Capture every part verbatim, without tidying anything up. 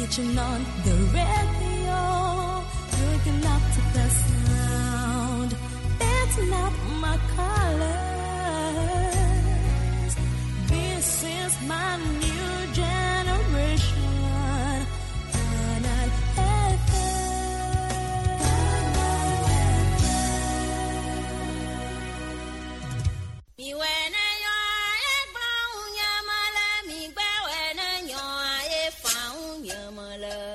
You turn on the radio, waking up to the sound. That's not my colors. This is my new generation. Canal F M.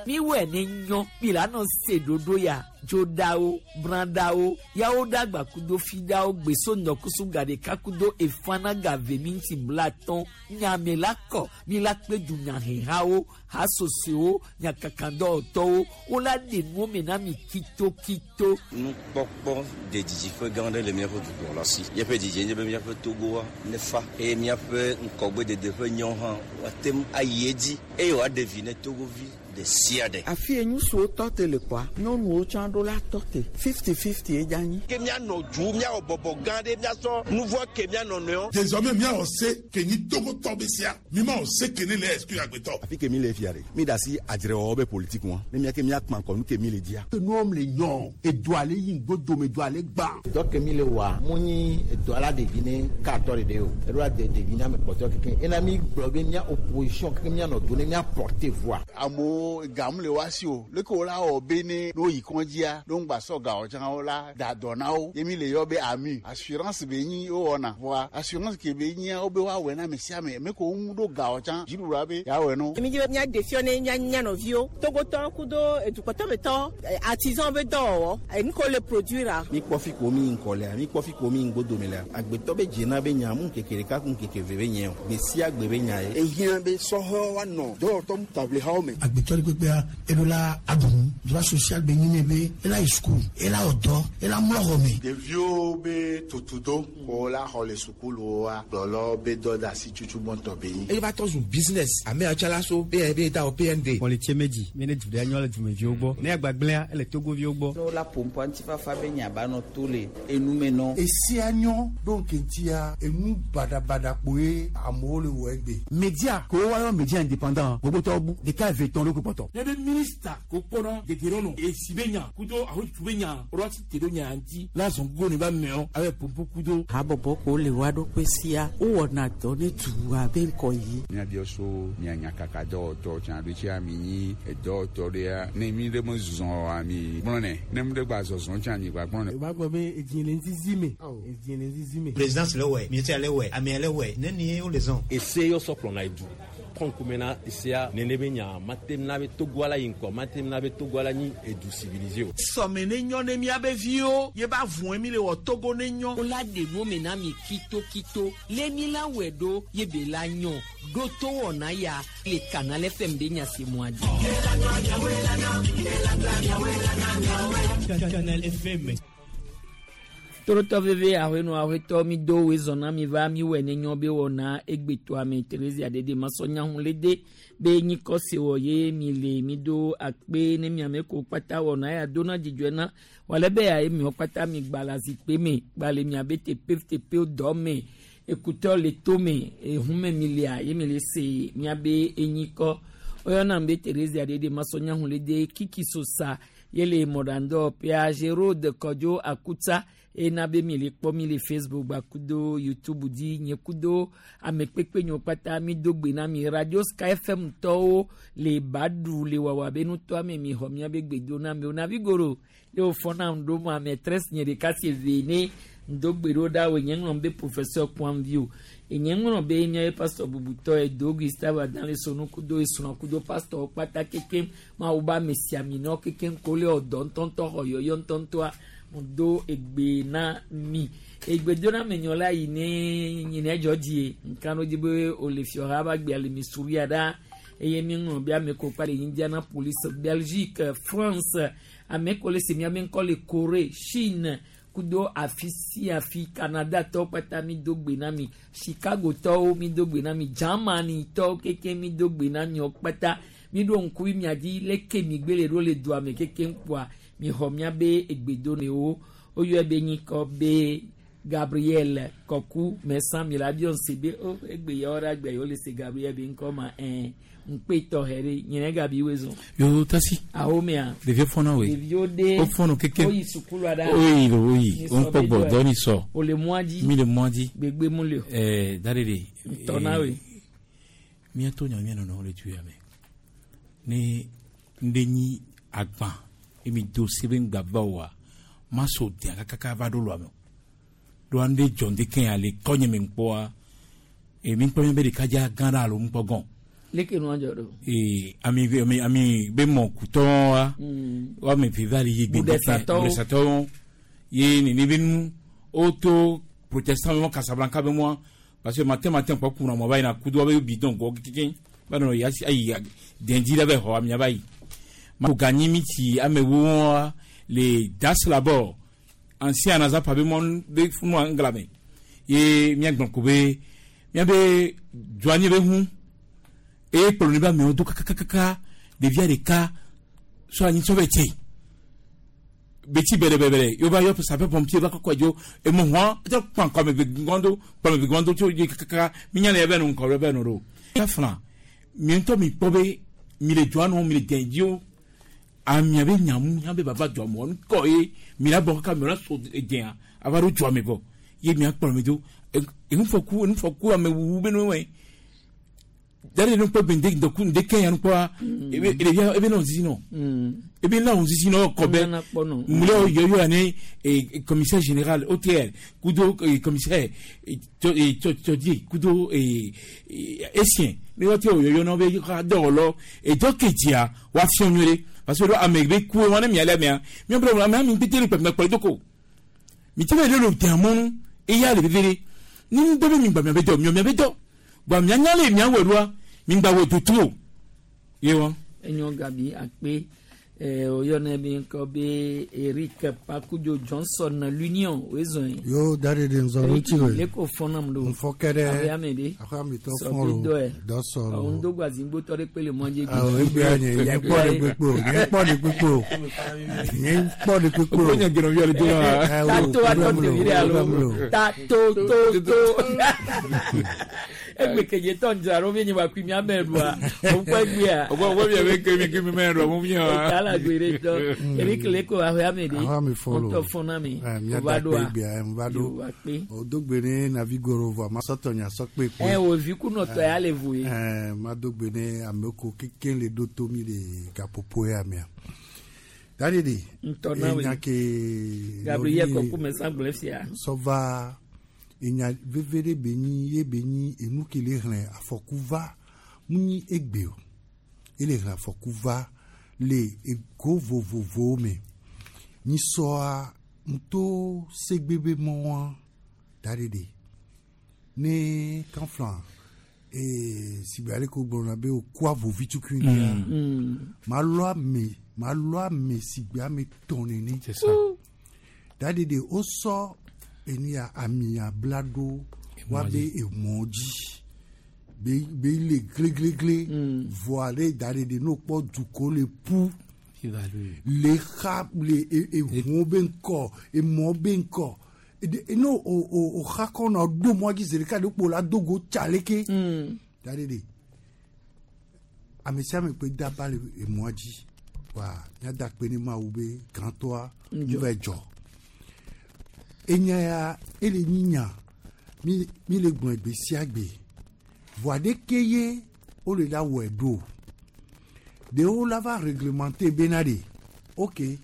Mi wɛ ne nyɔ mi la nɔ se ɖoɖo ya dzoɖawo brãɖawo yawo ɖagba kudo fiɖawo gbeso nɔkusu gaɖeka kudo efana gave minti blatɔn nyame la kɔ mi la kpe dunyahehawo hasosowo nyakakadɔwɔtɔwo wola ɖe nuwo me na mi kitokito. Nukpɔkpɔ de didiƒe gã aɖe le míaƒe dukplɔla si. Míaƒe didie nye be míaƒe Togoa nefa eye míaƒe ŋkɔgbedede ƒe nyɔ hã woate ŋu ayi edzi eye wòaɖe vi ne Togovi ɖe sia ɖe. Afi ye ŋutsuwo tɔ te le kɔa, nyɔnuwo tsã ɖo la tɔ te fifty fifty ye dza nyi. Ke míanɔ du míawɔ bɔbɔ gã ɖe míasɔ nu vɔ ke míanɔ nɔewo. Désormais míawɔ se ke nyi Togotɔ be sia mi ma wɔ se ke ne le exclure agbetɔ. Afi ke mi le fia ɖe mi da asi adzrewɔwɔ be politique ŋua ne mía ke míakpã kɔ nu ke mi le dzia. Nuwɔm le nyɔ edoa le yi ŋgbodome doa le gbã. Dɔ ke mi le wɔa mu nyi edoa la ɖevi ne katɔ ɖeɖe o eɖo la de ɖevi na ame kpɔtɔ keke ena mi gblɔ be mía opposition keke míanɔ do ne mía porter voix. Amewo gamu le wa si o leke wo la wɔ be ne no yi kɔndzia no ŋgba sɔ gawɔ tsã wo la da dɔ na wo ye mi le yɔ be ami assurance be nyi wo wɔna voa assurance ke be nyia wo be woawɔe na ame sia ame me ko ŋu ɖo gawɔ tsã dziɖuɖua be yeawɔe no. Mi dzi be mía ɖe fiɔ ne mía mía nɔviwo Togotɔ kudo edukɔtɔmetɔ artisan be dɔwɔwɔ enu ko le produire. Mi kpɔ fi ko mi ŋkɔ lea mi kpɔ fi ko mi ŋgbodome lea agbetɔ be dzena be nya mu ŋkeke ɖeka ku ŋkeke ve be nye o gbe sia gbe be nya ye. Ehiã be sɔhɛwo woanɔ dɔwɔtɔ taʋlihawo me. Agbetɔ ɖe kpekpea eɖo la aɖu droit social be nyi ne be ela yi sukulu ela wɔ dɔ ela mlɔ xɔ me. Ɖeviwo be tutudo ko la xɔ le sukuluwoa kplɔlɔ be dɔ de asi tutu gbɔntɔ be nyi. Eye va tɔ zu business ame yawo tsã la so be be da wɔ P N D. Pɔlitsie medzi mi ne du ɖe nyɔ le dumeviwo gbɔ ne agbagblẽa ele Togoviwo gbɔ. Ne wola ƒoƒoa ŋutifafa be nya ba nɔ to le enume nɔ. Esia nyɔ ɖo ŋkeŋtia enu baɖabaɖa kpoe amewo le wɔ egbe. Media ko woayɔ media indépendant gbogbotɔwo bu ɖeka eve tɔn ɖo kpɔtɔ. Ne be minista ko kpɔna degerɔnɔ esi be nya kudo ahotu be nya ɔlɔ ti te ɖo nya ŋuti la zɔn go ne ba mɛɔ abe popo kudo. Habɔbɔ ko le wa ɖokui sia wowɔna dɔ ne dua be ŋkɔ yi. Míabiɔ so mía nyakaka dɔwɔtɔ tsã ɖo tsia mi nyi edɔwɔtɔ ɖea ne mi ɖe me zɔ oa mi gblɔnɛ ne mi ɖe gba zɔzɔ tsã mi gba gblɔnɛ. O b'a gbɔ be edzi le ŋzizi me edzi le ŋzizi me. Présidence le wɛ ministère le wɛ amea le wɛ ne ni wo le zɔn. Ese yɔ sɔ kplɔna edu kɔnkumena esea nene be nya matem na be Togoa la yi ŋkɔ matem na be Togoa la nyi edu civilisé o. Sɔme ne nyɔ ne miabe viwo ye ba vɔn mi le wɔ Togo ne nyɔ. Wola ɖe nuwo me na mi kitokito le mi la wɔe ɖo ye be la nyɔ ɖo to wɔna ya le Canal F M de nya se mua dzi. Canal F M. Torotɔ veve ahɔenu ahɔetɔ mi do woe zɔna mi va mi wɔ ne nyɔ be wɔna egbetoa me Theresa dede masɔnyahu le de be nyikɔ se wɔ ye mi le mi do akpe ne miame ko kpata wɔna ya dona dzidzɔe na wale be ya ye miɔ kpata mi gba le zikpe me gba le miabe teƒe teƒe dɔ me ekutɔ le to me ehume mi lia ye mi le se miabe enyikɔ oyɔna be Theresa dede masɔnyahu le de kiki sosa yele mɔɖandɔ pia Gérald Kɔdzo Akutsa ena be mi le kpɔ mi le Facebook gba kudo YouTube dzi nye kudo ame kpekpe nyewo kpata mi do gbe na mi Radio Sky F M tɔwo le Badu le wawa be nutɔa me mi xɔ miabe gbe do na mi o na vigoro ye wòfɔ na ŋɖo mo ame tres nye ɖeka si eve ne ŋdo gbe ɖo ɖa o nye ŋlɔ be professeur Kwanvi o enye ŋlɔ be miabe pastor bubutɔ edo Gustave Adan le sonu kudo esrɔ̃ kudo pastor kpata kekem mawu ba ame sia mi nɔ kekem ko le ɔdɔ ŋutɔŋutɔ xɔ yɔyɔ ŋutɔŋutɔa do egbe na mi egbe do na me nyɔ la yi ne yi ne dzɔ die nka no dzi be o le fiɔha ba gbea le Missouri ɖa eye mi ŋlɔ be ame ko kpa le Indianapolis, Belgique, France, ame ko le se miabe ŋkɔ le Corée, Chine kudo afi sia afi Canada tɔwo kpata mi do gbe na mi, Chicago tɔwo mi do gbe na mi, Germany tɔwo keke mi do gbe na miwo kpata mi ɖo ŋku mia dzi leke mi gbe le ɖo le dua me keke ŋkua mi xɔ miabe egbedonewo woyɔe be nyikɔ be Gabriel Kɔku mɛsan mi la biɔ se be o egbe yawo ɖe agbe yewo le se Gabriel be ŋkɔ ma ɛn ŋkpe tɔxɛ ɖe nyinɛ gabi woe zɔn. Yo tasi. Awo mea. Ɖeviwo fɔna woe. Ɖeviwo ɖe. O fɔnɔ keke. Woyi sukulu aɖa. Oyi lo oyi. O ŋkpɔ gbɔ dɔ ni sɔ. O le mɔa dzi. Mi le mɔa dzi. Gbegbe mu le o. Ɛɛ da de de. Ntɔna woe. Míatɔ nya mía nɔnɔwo le du ya me. Ne ŋɖe nyi agba emi do se be ŋgba va oa ma so dea kakaka va ɖo lɔa me o. Ɖoa ŋɖe dzɔ ŋɖe ke ya le kɔnye me ŋkpɔa emi ŋkpɔ mi be ɖeka dza gã ɖe alo ŋkpɔ gɔn. Leke nua dzɔ ɖo. Ee ami ami ami be mɔ kutɔa woame eve va le yi gbe Budesatɔwo. Budesatɔwo ye nene be nu woto protestant be mɔ Casablanca be mɔa parce que matin matin kpɔ kuna mɔ va yina kudo wobe bidon gɔ keke va nɔ yasi ayi dɛndzi ɖe be xɔ amia va yi. Ma ganyi mi tsi amewo wɔa le das labor ancien anazapa be mɔ be funua ŋgla me ye miagblɔ ko be miabe dzoanyi be hu eye kplɔ ne be amewo do kakakaka ɖevia ɖeka sɔ anyi sɔ be tse betsi bɛrɛbɛrɛ yɔ va yɔ sapeur pompier va kɔkɔ dzo emo hɔn ɛtɔ kpan kɔme ve gɔndo kɔme ve gɔndo tso yi kakaka minya le ebe nu ŋkɔ ebe nu ɖo. Kafla mi ŋutɔ mi kpɔ be mi le dzoa nɔ mi le dɛn dzo amia be nyamu ya be baba dzoa mɔ ŋkɔ ye mi la bɔ kaka mi la so dɛn ava ɖo dzoa me vɔ ye mia kplɔ mi do enufɔku enufɔku amewuwu be nu wɛ dari nu kpɔ gbende ŋdɔku ŋdeke ya nu kpɔa ebe ɖevia ebe nɔ zizi nɔ ebe la wo zizi nɔ kɔbɛ mlɛ yɔyɔ ani commissaire général O T R kudo commissaire tɔdie kudo esien ne wɔte o yɔyɔ nɔ be ka dɔwɔlɔ edɔ kedzia wa fiɔ nyuie ɖe parce que ame be ku wɔn ne mia lɛ mia mia bɛ ame mi pété le kpɛkpɛ kpɛ doko mi ti bɛ ɖe le tɛn mɔnu eya le veve ɖe ni ŋdɔ be mi gba mia be dɔ mia mia be dɔ gba mia nya le mia wɔ ɖoa mi gba wɔ tutu o ye wa. Enyo gabi akpe eh, oyɔnɛ bi ŋkɔ be Eric Pakudzo Johnson l'Union wezɔn ye. Yo dari de nzɔ ŋuti o. Le ko fɔnam do. Nfɔ kɛ dɛ. Abe ame de. Abe ame tɔ Sɔ fɔn bi lo. dɔ yɛ. Dɔ sɔrɔ. Ɔn do gba zingbotɔ ɖe kpe le mɔdzi. Awɔ egbea nye nye kpɔ de kpekpe o nye kpɔ de kpekpe o nye kpɔ de kpekpe o. O ko nya gɛnɛ yɔrɔ do la. Ɛ, o, Ta to atɔ problème tevi lo, ɖe alo. problème lo. Ta to to to. Egbe kedze tɔ ndzra ɖo mi nyi wa kui mia mɛ ɖua. O kpɔ egbea. O ko mi bɛ kemi kemi mɛ ɖɔ mu mi wa. Eta la gbe ɖe tɔ. Eric le ko abe ame de. Aho ame fɔn lo. Ŋutɔ fɔn na mi. Ɛ, mia O va da ɖoa. kpe egbea ɛ, n va Yo ɖo. va kpe. O do gbe ne navi goro vɔ ma sɔtɔ nya sɔ kpe kpe. Ɛ o vi kunɔtɔ ya le vo ye. Ɛ, ma do gbe ne ame ko keke le ɖo to mi le gaƒoƒo ya mea. Dari de. Ŋutɔ na we. Enya ke. Gabriel nɔvi- Kɔku mɛ san gblẽ fia. Sɔva enya veve ɖe be nyi ye be nyi enu ke le xlẽ afɔku va mu nyi egbe o ele xlẽ afɔku va le ego vovovowo me nyisɔa ŋutɔ segbe be mɔa da ɖe ɖe ne kanflan ee sigbe ale ko gblɔna be okua vovi tukui ŋutia Mm. ma lɔ ame ma lɔ ame sigbe ame tɔn nene C'est ça. da ɖe ɖe wosɔ enu ya amia bla ɖo wa be emɔ dzi be be le gleglegle vɔa ɖe da ɖe ɖe n'o kpɔ dukɔ le ƒu le xa le e- eʋuwo be ŋkɔ emɔ be ŋkɔ Ede- eno o o o xa kɔ nɔ ɖo mɔ dzi zi ɖeka ɖe kpo la dogo tsa leke da ɖe ɖe ame sia ame kpe daba le emɔa dzi wa míada kpe ne Mawu be gãtɔa Ŋdzɔ. nu va dzɔ enya ya ele nyi nya mi mi le gblɔe gbe sia gbe voa ɖeke ye wole la wɔe ɖo ɖewo la va réglementer bena ɖe ok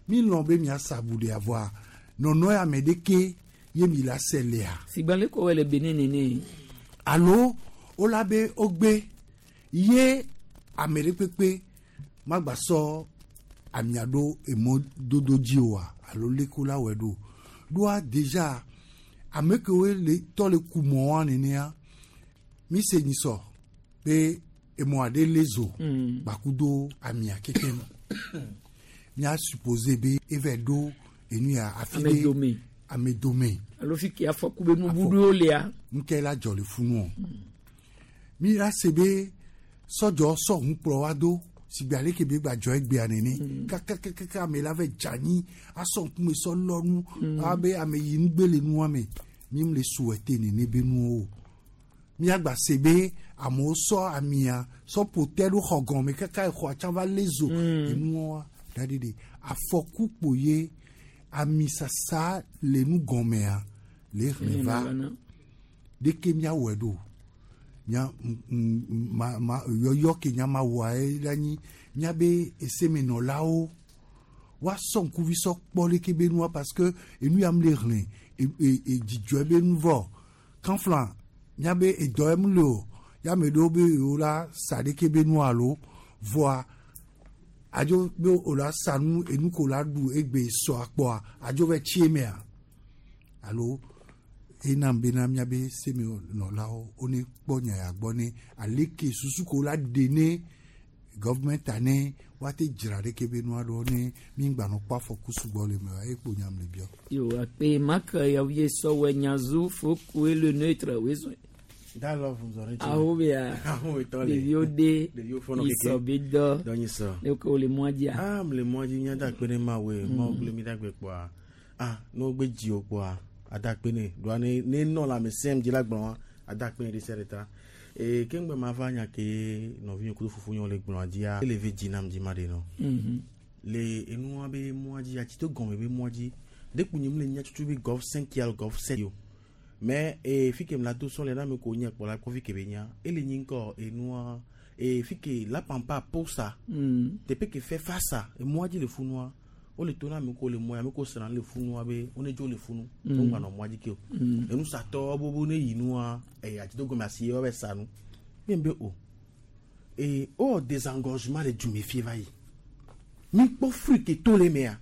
mi lɔn be miasa abu ɖea voa nɔnɔ ya me ɖeke ye mi la se lea Sigbe le ko wɔ le Benin nene. Alo wola be wogbe ye ame ɖe kpekpe magba sɔ amia ɖo emɔ dodo dzi oa alo leke la wɔe ɖo ɖoa déjà ame kewoe le tɔ le ku mɔa nenea mi se nyisɔ be emɔ aɖe le zo Mm. gbakudo amia kekem mía supposé be eva ɖo enu ya afi Ame ɖe dome. ame dome Alo fi ke afɔku be nubuɖowo lea. Nke la dzɔ le funu o mi la se be sɔdzɔ sɔ ŋu kplɔ wa do. Sigbe ale ke be gba dzɔ egbea nene. Kakakakaka ame la vɛ dze anyi asɔ ŋkume sɔ lɔ nu abe ame yi nugbe le nua me. Mi mu le souhaiter nene be nuwo o. Miagba se be amewo sɔ amia sɔ ƒo te ɖo xɔ gɔme kaka exɔa tsã va lé zo. Enuwoa da ɖi ɖe afɔku kpo ye amisasa le nu gɔmea le hlẽ va ɖeke miawɔe ɖo nya ma ma yɔyɔ ke nya ma wɔa ye la nyi miabe esemenɔlawo woasɔ ŋkuvi sɔ kpɔ leke be nua parce que enu ya mu le hlẽ e dzidzɔe be nu vɔ kanflan miabe edɔ ye mu le o ya ame ɖewo be yewo la sa ɖeke be nu alo vɔa adzo be o la sa nu enu ko la ɖu egbe sɔ akpɔa adzo vɛ tsi emea alo enam bena miabe semenɔlawo wone kpɔ nya ya gbɔ ne aleke susu ko la ɖe ne gɔvmɛnta ne woate dzra ɖeke be nua ɖo ne mi ŋgbanɔ kpɔ afɔku sugbɔ le me wa ye kpo nyam le biɔ. Yo akpe mak yawie sɔwɛ nyazu fokue le neutre wezo. Da love nzɔre dzi. Awo bia. Awo etɔ le. Ɖeviwo de. Ɖeviwo fɔnɔ keke. Isɔ be dɔ. Dɔ nyi sɔ. Ne ko le mɔa dzia. Ah le mɔa dzi mía da akpe ne Mawu Mawu kple mi da gbe kpɔa. Ah ne wogbe dzi o kpɔa ada akpe ne ɖoa ne ne nɔ le ame sɛm dzi la gblɔ ada akpe ne ɖe sia ɖe ta. Ee ke ŋgbe ma va nya ke nɔvinye kudo fofonye le gblɔa dzia ele ve dzi nam dzi ma ɖe nɔ. Le enua be mɔa dzi atsi to gɔme be mɔa dzi dekpu nye mu le nya tutu be golf cinq alo golf sept o. Mais e fi ke la do son le na me ko nya kpɔ la kɔ fi ke be nya ele nyi ŋkɔ enua e fi ke la pampa posa teƒe ke fɛ fasa emɔa dzi le funua o le to na ame ko le mɔa ame ko sra le funua be wo ne dzo le funu wo ŋgba nɔ mɔa dzi ke o enusatɔ bobo ne yi nua e ati do gɔme asi ye wa bɛ sa nu mi be o e o désengorgement le dume fie va yi mi kpɔ fruit ke to le mea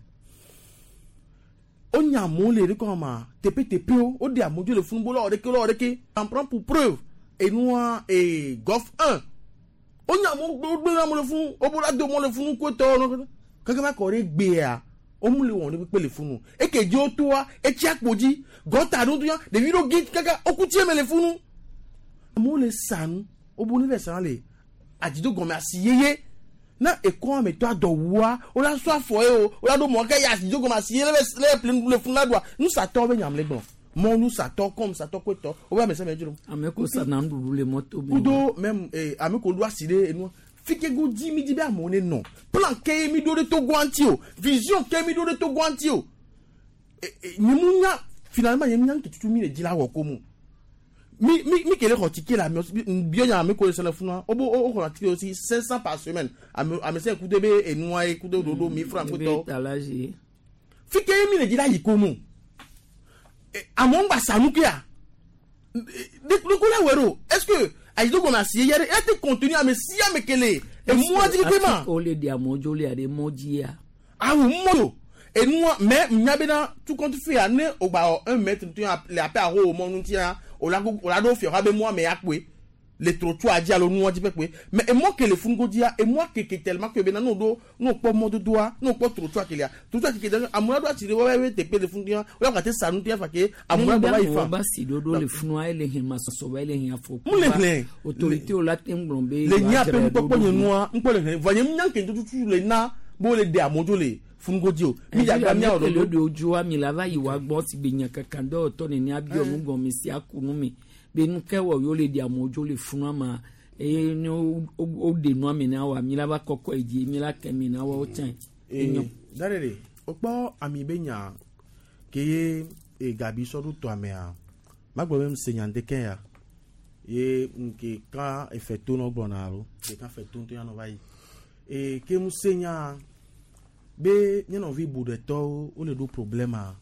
o nya amewo le ɖe kɔma ma teƒe teƒewo o de amewo dzo le funu bo lɔ ɖeke lɔ ɖeke en prend pour preuve enua e golf un o nya amewo gbe gbe amewo le funu o bo la do amewo le funu ko tɔ nɔ keke va kɔ ɖe gbea o mu le wɔn ɖe kpe le funu eke dzi o toa etsi akpo dzi gɔta ɖo ya ɖevi ɖo gi kaka o ku tsie me le funu amewo le sa nu o bo ne le sa le adzido gɔme asi yeye na ekɔ ame tɔ adɔwua o la sɔ afɔ ye o o la ɖo mɔ ke ya adzido gɔme asi yeye le le ple le funu la doa nusatɔ be nyam le gblɔ mɔ nusatɔ kɔm satɔ koetɔ o be ame sia ame dzro. Ame ko sa na nuɖuɖu le mɔto me. Kudo même ee ame ko ɖo asi ɖe enua fike go dzi mi dzi be amewo ne nɔ plan ke mi ɖo ɖe Togo ŋuti o vision ke mi ɖo ɖe Togo ŋuti o nye mu nya finalement nye mu nya tutu mi le dzi la wɔ ko mu mi mi mi kele xɔ tike la ame biɔ nya ame ko le sɛlɛ funua o bo o xɔ tike aussi cinq cents par semaine ame ame sɛ kudo be enua ye kudo dodo mi franc kutɔ fike mi le dzi la yi ko mu amewo ŋgba sanu kea de ko la wɛ ɖo est ce que ayido gɔme asi ye yɛrɛ e te continue ame sia ame kele emua dzi keke ma. O le di amewo dzo le aɖe mɔ dzia. Awo mɔ do enua mais nya bena tout compte fait ya ne o gba wɔ un mètre tu ya le aƒe aho mɔ ŋutia o la o la ɖo fia be mɔa me ya kpoe le trottoir dzi alo nua dzi pɛpɛ mais emɔ ke le funugo dzia emɔa keke tellement que bena n'o ɖo n'o kpɔ mɔdodoa n'o kpɔ trottoir kelia trottoir keke tellement amewo ɖo atsi ɖe wɔbɛ be teƒe le funugoa wo la gate sa nu tia fa ke amewo la gbɔ va yi fa. Ba si ɖoɖo le funua ele hɛn masɔsɔ ba ele hɛn afɔku. Mun le hlẽ. Autorité wo la te ŋgblɔ be. Le nya pe ŋkpɔkpɔ nye nua ŋkpɔ le hlẽ vɔ nye nya ke tututu le na bo le de amewo dzo le funugo dzi o. Mi dza mia wɔ ɖoɖo. Le dzoa mi la va yi wa gbɔ si be nya kaka dɔwɔtɔ nene abiɔ nu gɔme si aku nu me. Be nu ke wɔ yewo le di amewo dzo le funua ma eye ne wo ɖe nua me na wa mi la va kɔkɔ yi dzi mi la kɛ mi na wa wo tsã. Ee dare de o kpɔ ami be nya ke ye e gabi sɔ ɖo tɔ amea magblɔ be ŋse nya ŋdeke ya ye nke ka efe to nɔ gblɔna alo ke ka fe to ŋutɔ ya nɔ va yi ee ke ŋuse nya be nye nɔvi buɖetɔwo wole ɖo problème a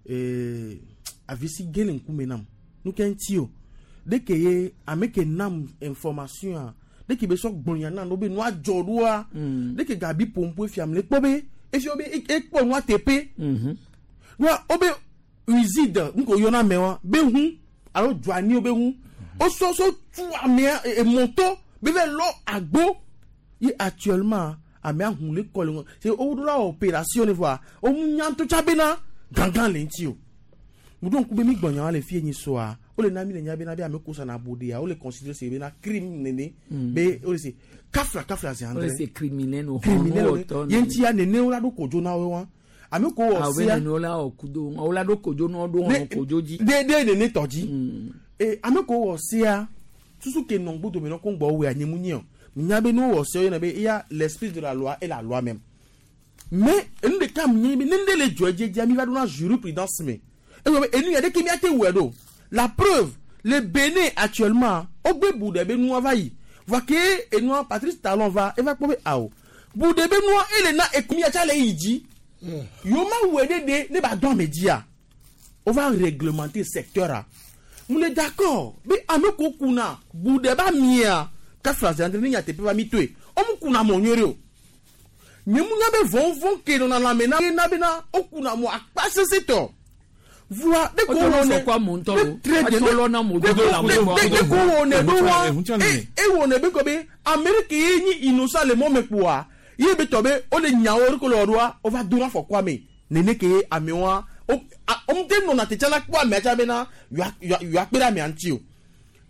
ee avisi ge le ŋkume nam. Nu ke ŋuti o ɖeke ye ame ke nam information a ɖeke be sɔ gblɔ na no be nua dzɔ ɖoa ɖeke gabi pompo efia le kpɔ be efia be ekpɔ nua teƒe nua wo be uside ŋko yɔna ame wa be hu alo dzoani wo be hu wosɔ so tu amea emɔtɔ be vɛ lɔ agbo ye actuellement amea hu le kɔ le ŋu se wo ɖo la opération ne voa wo mu nya to tsa bena gangan le ŋuti o. Mudo ŋku be mi gbɔnya le fie nyi soa wole na mi le nya bena be ame ko sana bo de ya wole considérer se bena crime nene be wole se kafla kafla zi Wole andre se criminel no criminel hɔn wole wɔtɔ ye ŋuti ya nene wola ɖo kodzo na wo wa ame ko wɔ awo sia nene wola wɔ kudo wola ɖo kodzo na woɖo hɔn kodzo dzi de de nene tɔ dzi e ame ko wɔ sia susu ke nɔ ŋgbo dome nɔ ko ŋgbɔ wɔ anyi mu nye o nya be ne wɔ sia yɔna be eya l'esprit de la loi et la loi même mais enu ɖeka mu nye be ne ŋɖe le dzɔ edzedzia mi va ɖo na jurisprudence me ewɔ be enu ya ɖeke miate wɔe ɖo la preuve le Bénin actuellement wogbe bu ɖe be nua va yi voa ke enua Patrice Talon va eva kpɔ be awo bu ɖe be nua ele na ekumia tsa le yi dzi yewo ma wɔe ɖe ɖe ne ba dɔn ame dzia on va réglementer secteur a mu le d'accord be ame ko kuna bu ɖe ba mia kafla zandre ne nyateƒe va mi toe wo mu kuna mɔ nyuie ɖe o nye mu nya be vɔvɔ̃ ke nɔna lãme na na bena wo kuna mɔ akpa sese tɔ voa de ko Wotɔ wɔ ne fɔ kɔ amewo ŋutɔ lo. très bien Atsɔ lɔ na amewo de dodo le ko amewo gbɔ. de ko wɔ ne ɖo wa Ehun e e wɔ ne be kɔ be Amérique ye nyi innocent le mɔ me kpoa ye be tɔ be wo le nyawo ɖe ko le wɔ ɖoa wo va do na afɔkua me nene ke ye amewoa wo a wo ŋute nɔna te tsana kpɔ amea tsa bena yewoa yewoa yewoa kpe ɖe amea ŋuti o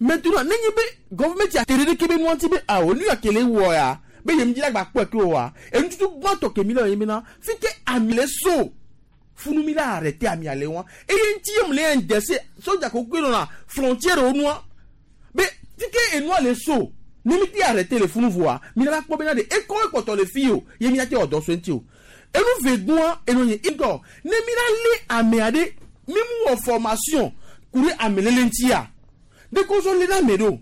maintenant nenye be gɔvɛmɛnti ate ɖe ɖeke be nua ŋuti be awo nu ya ke le wɔ ya be yem dzi la gba kpɔe ke o wa enututu gbãtɔ ke mi le ye bena fi ke ami le so funu mi la arrêté ami ale wa eye ŋuti ye mu le indexé sodza ko ke nɔna frontière wo nua be fi ke enua le so ne mi ti arrêté le funu voa mi la va kpɔ bena de ekɔ ekpɔtɔ le fi o ye mi la te wɔ dɔ so ŋuti o enu ve gbɔa enu nye ŋgɔ ne mi la lé amea ɖe mi mu wɔ formation ku ɖe amelele ŋutia de ko so lé na ame ɖo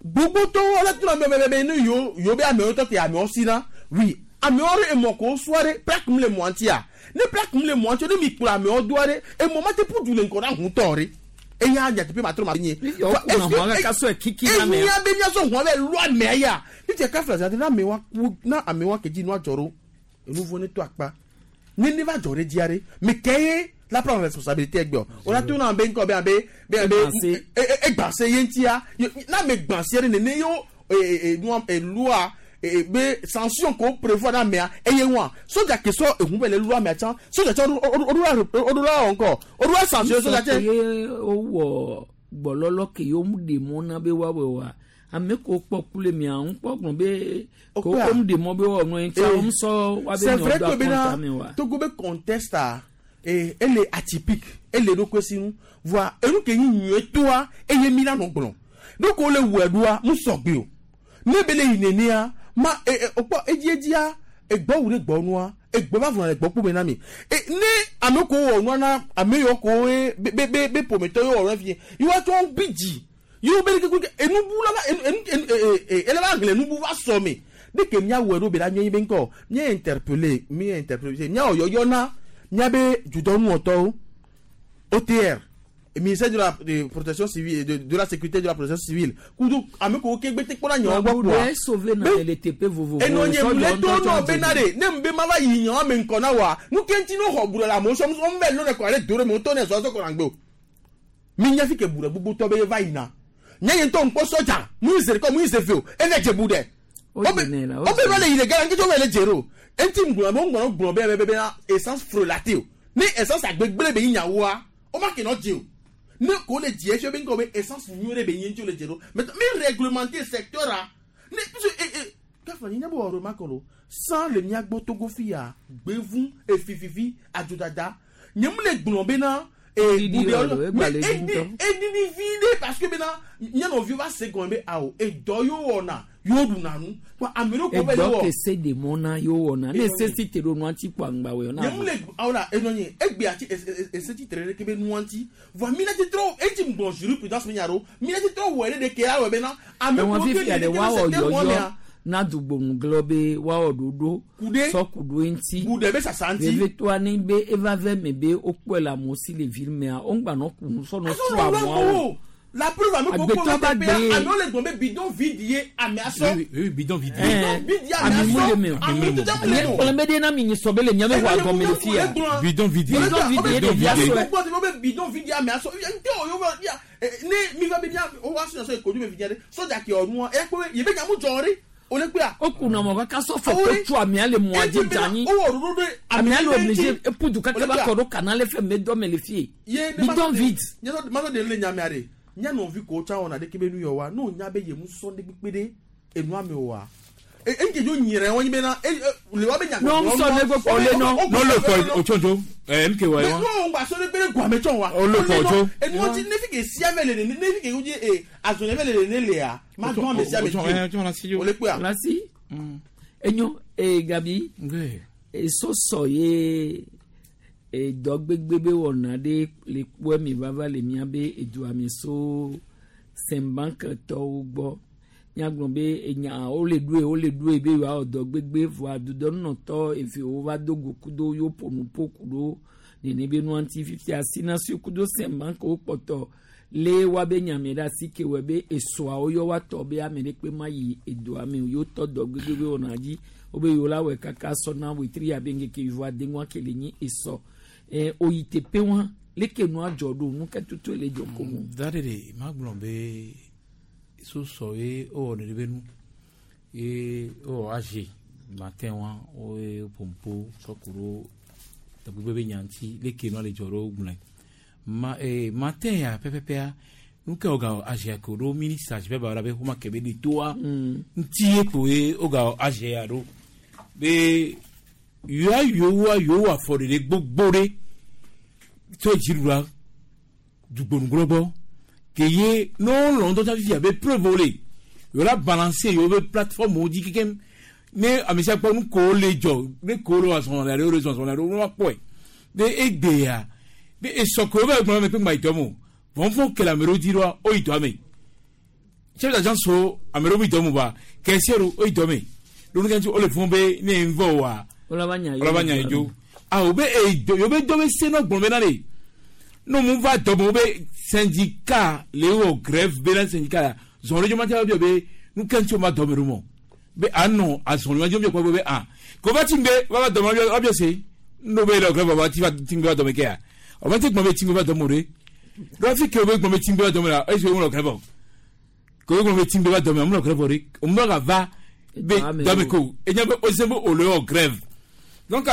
gbogbotɔwo le tuna bɛbɛbɛ ne yewo yewo be amewo tɔ te amewo si na oui amewo ɖe emɔ ko soa ɖe plaque mu le mɔa ŋutia ne plaque mu le mɔa ŋutia ne mi kplɔ amewo doa ɖe emɔ ma te ƒu du le ŋgɔ na hutɔ ɖe eya nyateƒe ma trɔ ma nye Yewo kuna hɔn kaka sɔe kiki na amea. enya be miasɔ hɔn bɛ lu amea ya titɛ kafla zã na amewa ku na amewa kedzi nua dzɔ ɖo enu vɔ ne to akpa ne ne va dzɔ ɖe dzia ɖe me ke ye la prendre responsabilité egbe o o la to na be ŋkɔ be abe be abe Egbãse. egbãse ye ŋutia ye- na ame gbãse ɖe nene yewo e e nua elua e be sanction ko prévoir na amea eye ŋua sodza ke sɔ ehun bɛ le lu amea tsã sodza tsã o ɖo la o ɖo la wɔ ŋkɔ o ɖo la sanction sodza tse. ye wowɔ gbɔlɔlɔ ke yewo mu ɖe mɔ na be woawɔe oa ame ko kpɔ ku le mia ŋu kpɔ gblɔ be ko Okpea. wo mu ɖe mɔ be woawɔ nua ŋutia Eh, wo mu sɔ woabe c'est nyawo vrai do que akɔnta bena me oa. Togo be contexte a eh, ele atypique ele ɖokui si nu voa enu ke nyi nyuie toa eye mi la nɔ gblɔ donc wole wɔe ɖoa mu sɔgbe o ne be le yi nenea ma e e okpɔ edziedzia egbɔ wu ɖe gbɔ nua egbɔ va vɔna le gbɔ kpɔ me na mi e ne ame ko wɔ nua na ame yiwo ko ye be be be be ƒometɔ yiwo wɔ nua fi yiwo tsɔ bi dzi yiwo be ɖeke kuke enubu la va enu enu enu e e ele va hlẽ nubu va sɔ me de ke miawɔe ɖo be la nyɔ yi be ŋkɔ mía interpellé mía interpellé míawɔ yɔyɔ na míabe dudɔnuwɔtɔwo O T R, ministère de la de protection civile de, de la sécurité de la protection civile kudo ame ko ke gbete kpɔna nyawo gbɔ Abu kpoa ɖe sauvé na le teƒe vovovo. eno nye Sɔdzɔ mu le ŋutɔ to tsɔ nɔ dze bena dzi. ɖe ne mu be ma va yi nyawo me ŋkɔ na wa nu ke ŋuti no xɔ bu ɖe le amewo sɔm wɔm vɛ lɔ ne kɔ ɖe do ɖe me wotɔ ne zɔ zɔ kɔ na gbe o mi nya fi ke bu ɖe gbogbo tɔ be va yina nye nye ŋutɔ ŋkpɔ sɔdza mu yi ze ɖeka mu yi ze ve o eve dze bu ɖe O dze nɛ la, o o be dze va nɛ. le yi le gã ŋketsɔ va le dze ɖo eŋuti ŋgblɔ be ŋgblɔ gblɔ be be be na essence frelaté o ne essence agbegble be yi nyawoa o ma ke nɔ dze o ne ko le dze efia be ŋkɔ be essence nyuie ɖe be yi ŋuti o le dze ɖo maintenant mi réglementer secteur a ne puisque e e kafa nyi nyabɔ wɔ remarque lo sans le miagbɔ Togo fi ya gbevu efififi adzodada nye mu le gblɔ bena Eɖiɖi buɖe wɔ lo, egba le mais dzi ŋutɔ. eɖiɖi vi ɖe parce que bena nye nɔviwo va se gɔme be awo edɔ yewo wɔna yewo ɖuna nu kpa ame ɖewo ko va le Egbɔ wɔ ke se ɖe mɔ na yewo wɔna ne Enɔ se si te ɖo nua ŋuti kpɔ aŋgba wɔ na. nye mu le awo la enɔ nye egbe ati ese ti tere ɖe ke be nua ŋuti voa mi la ti trɔ eti gblɔ jurisprudence mi nya ɖo mi la ti trɔ wɔ ɖe ɖe ke awɔ bena ame Ẹ̀wọ̀n ko ke fífi le àɖe ɖe ke woawɔ le secteur yɔyɔ mɔmea na dugboŋugblɔ be woawɔ ɖoɖo sɔ kuɖo eŋuti. Kuɖe be sasa ŋuti. Vevetoa ne be eva vɛ me be wokpɔe le amewo si le ville mea woŋgba nɔ ku sɔnɔ tu ameawo. La preuve ame ko Agbetɔ kpɔ ba le teƒea gbe. amewo le gblɔ be bidon vide ye amea sɔ. Oui, oui, bidon vide. Bidon vide ye amea Ami mu le sɔ. me o. Ami tutu mu le Nye me o. kplɔ be ɖe na mi nyi sɔ be le miabe xɔ agɔme le fia. Bidon vide. Bidon vide ye ɖevia sɔe. Gbɔ te be bidon vide ye amea sɔ. Nte o yewo ya ne mi va be mia o wa sɔ sɔ kodu be vide ɖe sɔdza ke ɔnua eya kpɔ be ye be nyamu dzɔ ɖe o le kpea. O kunna mɔ kaka sɔ fɔ ko tu amea le mɔa dzi dzanyi. O wɔ ɖoɖo ɖe Amea le ɖe obligé ŋuti. eƒu du kaka va kɔ ɖo kana le fɛ me dɔ me le fie. Ye ne Bidon vide. Nye sɔ ma sɔ de le nyamea ɖe. Nyanɔvi ko tsa wɔna ɖeke be nu yɔ wa n'o nya be yemu sɔ ɖe kpekpe ɖe enua me oa. E ŋke dzo nyere wɔn be na e le wa be nya. N'o sɔ ne gbɔ kpɔ le nɔ. N'o le kɔ o tsɔnjo ɛ mk wa ye wa. N'o gba sɔ ɖe kpe ɖe guame tsɔn wa. O le kɔ tso. Enuwo ti ne fi ke sia mɛ le ne ne fi ke wodzi e azɔnye mɛ le ne lea ma dɔn ame sia ame dzi o. O le kpea. Lasi. Enyo ee Gabi. Esosɔ ye edɔ gbegbe be wɔna ɖe le kpɔe mi vava le mia be edua mi so sɛnbanketɔwo gbɔ. Nyagblɔ be enya wole ɖoe wole ɖoe be yewoawɔ dɔ gbegbe vɔa dudɔnunɔtɔ evewo va do go kudo yewo ƒo nu ƒo ku ɖo nene be nua ŋuti fifia sinasiwo kudo sɛnbankewo kpɔtɔ le woabe nyame ɖe asi ke wɔ be esoawo yɔ woatɔ be ame ɖe kpe ma yi edoa me o yewo tɔ dɔ gbegbe be wɔna dzi wobe yewo la wɔe kaka sɔna wetri abe ŋkeke wuieve adeŋua ke le nyi esɔ ɛ oyi teƒe wa leke nua dzɔ ɖo nu ke tutu le dzɔ ko mo. Da ɖe ɖe magblɔ be sosɔ ye wowɔ ne ɖe be nu ye wowɔ aze matin wa woye pompo sɔ ku ɖo dɔgbegbe be nya ŋuti leke nua le dzɔ ɖo gblɔe ma ee matin ya pɛpɛpɛa nu ke woga azea ko ɖo ministre azi bɛ ba be xɔma ke be ɖe toa ŋuti ye ko ye woga azea ɖo be yoa yowoa yowo afɔ ɖeɖe gbogbo ɖe tso dziɖuɖua dugbonugblɔ gbɔ ke ye ne wolɔ ŋutɔ tsa fifia be preuve wo le yewo la balancer yewo be plateforme wo dzi kekem ne ame sia kpɔ nu ko le dzɔ ne ko le azɔn le ɖe wo le zɔzɔn le ɖe wo kpɔe be egbea be esɔ ko be gblɔ me kpe ŋgba yi dɔ me o vɔnvɔn ke le ame ɖewo dzi ɖoa wo yi dɔ me chef d'agence so ame ɖewo mi dɔ me ba caissière wo yi dɔ me ɖo nu ke ŋuti wo le fún be ne ye ŋvɔ wa Wala nya wala nya yi dzo ah wo be eyi dɔ yewo be dɔ be se nɔ gblɔ be na de no mu va dɔ me wo be syndicat le wɔ grève be na syndicat ya zɔn ɖe dzo ma tia be nu ke ŋuti wo ma dɔ me ɖo mɔ be anɔ azɔn ma dzo mi kpɔ be ah ko va ti ŋgbe va va dɔ me wa bi se no be le grève va ti va ti ŋgbe va dɔ me ke ya o ma ti gbɔn be ti ŋgbe va dɔ me o de ɖo fi ke wo be gbɔn be ti ŋgbe va dɔ me la esi wo ŋlɔ grève o ko wo gbɔn be ti ŋgbe va dɔ me o ŋlɔ grève o de o mu ka va be dɔ me ko enya be o se be o le wɔ grève donc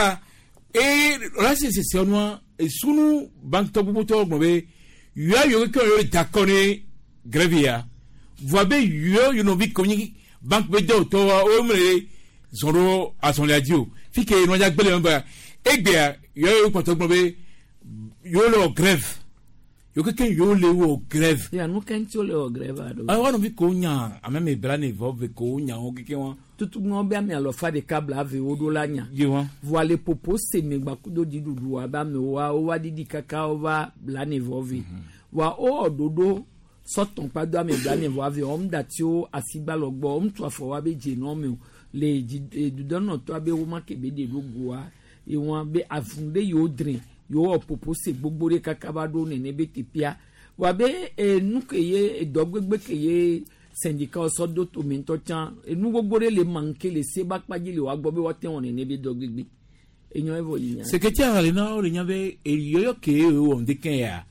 e la se se se nua esunu banque gbogbo tɔ gbɔn be yɔ yɔ ke yɔ d'accord ne grève ya voa be yɔ yɔ nɔvi ko nyi banque be dɔw tɔ wa o me le zɔn ɖo azɔlia dzi o fi ke nɔdza gbele me ba egbea yɔ yɔ kpɔtɔ gbɔn be yɔ le wɔ grève yɔ keke yɔ le wɔ grève. Ya nu ke ŋuti wo le wɔ grève aɖo. Ayi wa nɔvi ko nya ame me bla ne vɔ ve ko nya wo keke wa. Tutu ŋɔ be ame alɔfa ɖeka bla ave wo ɖo la nya. Ye wa. Voa le popo se me gbakudo dziɖuɖu abe amewoa wova ɖiɖi kaka wova bla ne vɔ ve. Voa wowɔ ɖoɖo sɔtɔn kpado ame bla ne vɔ ave wɔm datiwo asigbalɔ gbɔ wɔm tu afɔ wa be dze nɔ me o le dzi dudɔnɔtɔa be woma ke be ɖe ɖo goa ewɔn be avun ɖe yewo dre yewo wɔ popo se gbogbo ɖe kaka va ɖo nene be teƒea voa be enu ke ye edɔ gbegbe ke ye syndicat sɔ do tome ŋutɔ tsã enu gbogbo ɖe le manke le se ba kpa dzi le woagbɔ be woate wɔ nene be dɔ gbegbe enyo evɔ yi nya. Secrétaire le na wo le nya be eyɔyɔ ke wɔ ŋdeke ya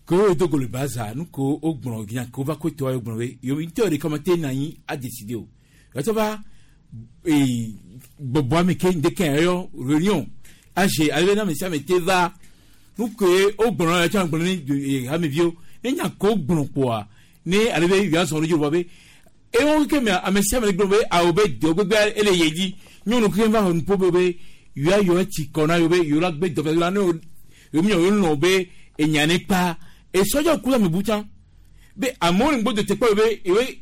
ko wo do go le baza nu ko o gblɔ nya ko va ko tɔ gblɔ be yo ŋutɔ ɖeka ma te na anyi a décider o yɔtɔ va ee gbɔgbɔ ame ke ŋdeke yɔ réunion ase ale be na ame sia ame te va nu ke o gblɔ na tsã gblɔ ne hameviwo ne nya ko gblɔ kpoa ne ale be yɔ azɔn ɖo dzi vɔ be ewo ke me ame sia ame gblɔ be awo be dɔ gbegbe ele ye dzi nyɔnu ke va xɔ nuƒo be be yɔ yɔ tsi kɔ na yɔ be yɔ la gbe dɔ la ne yɔ mi yɔ lɔ be enya ne kpa esɔdza ku ame bu tsã be amewo le ŋgbo te kpɔ be ewe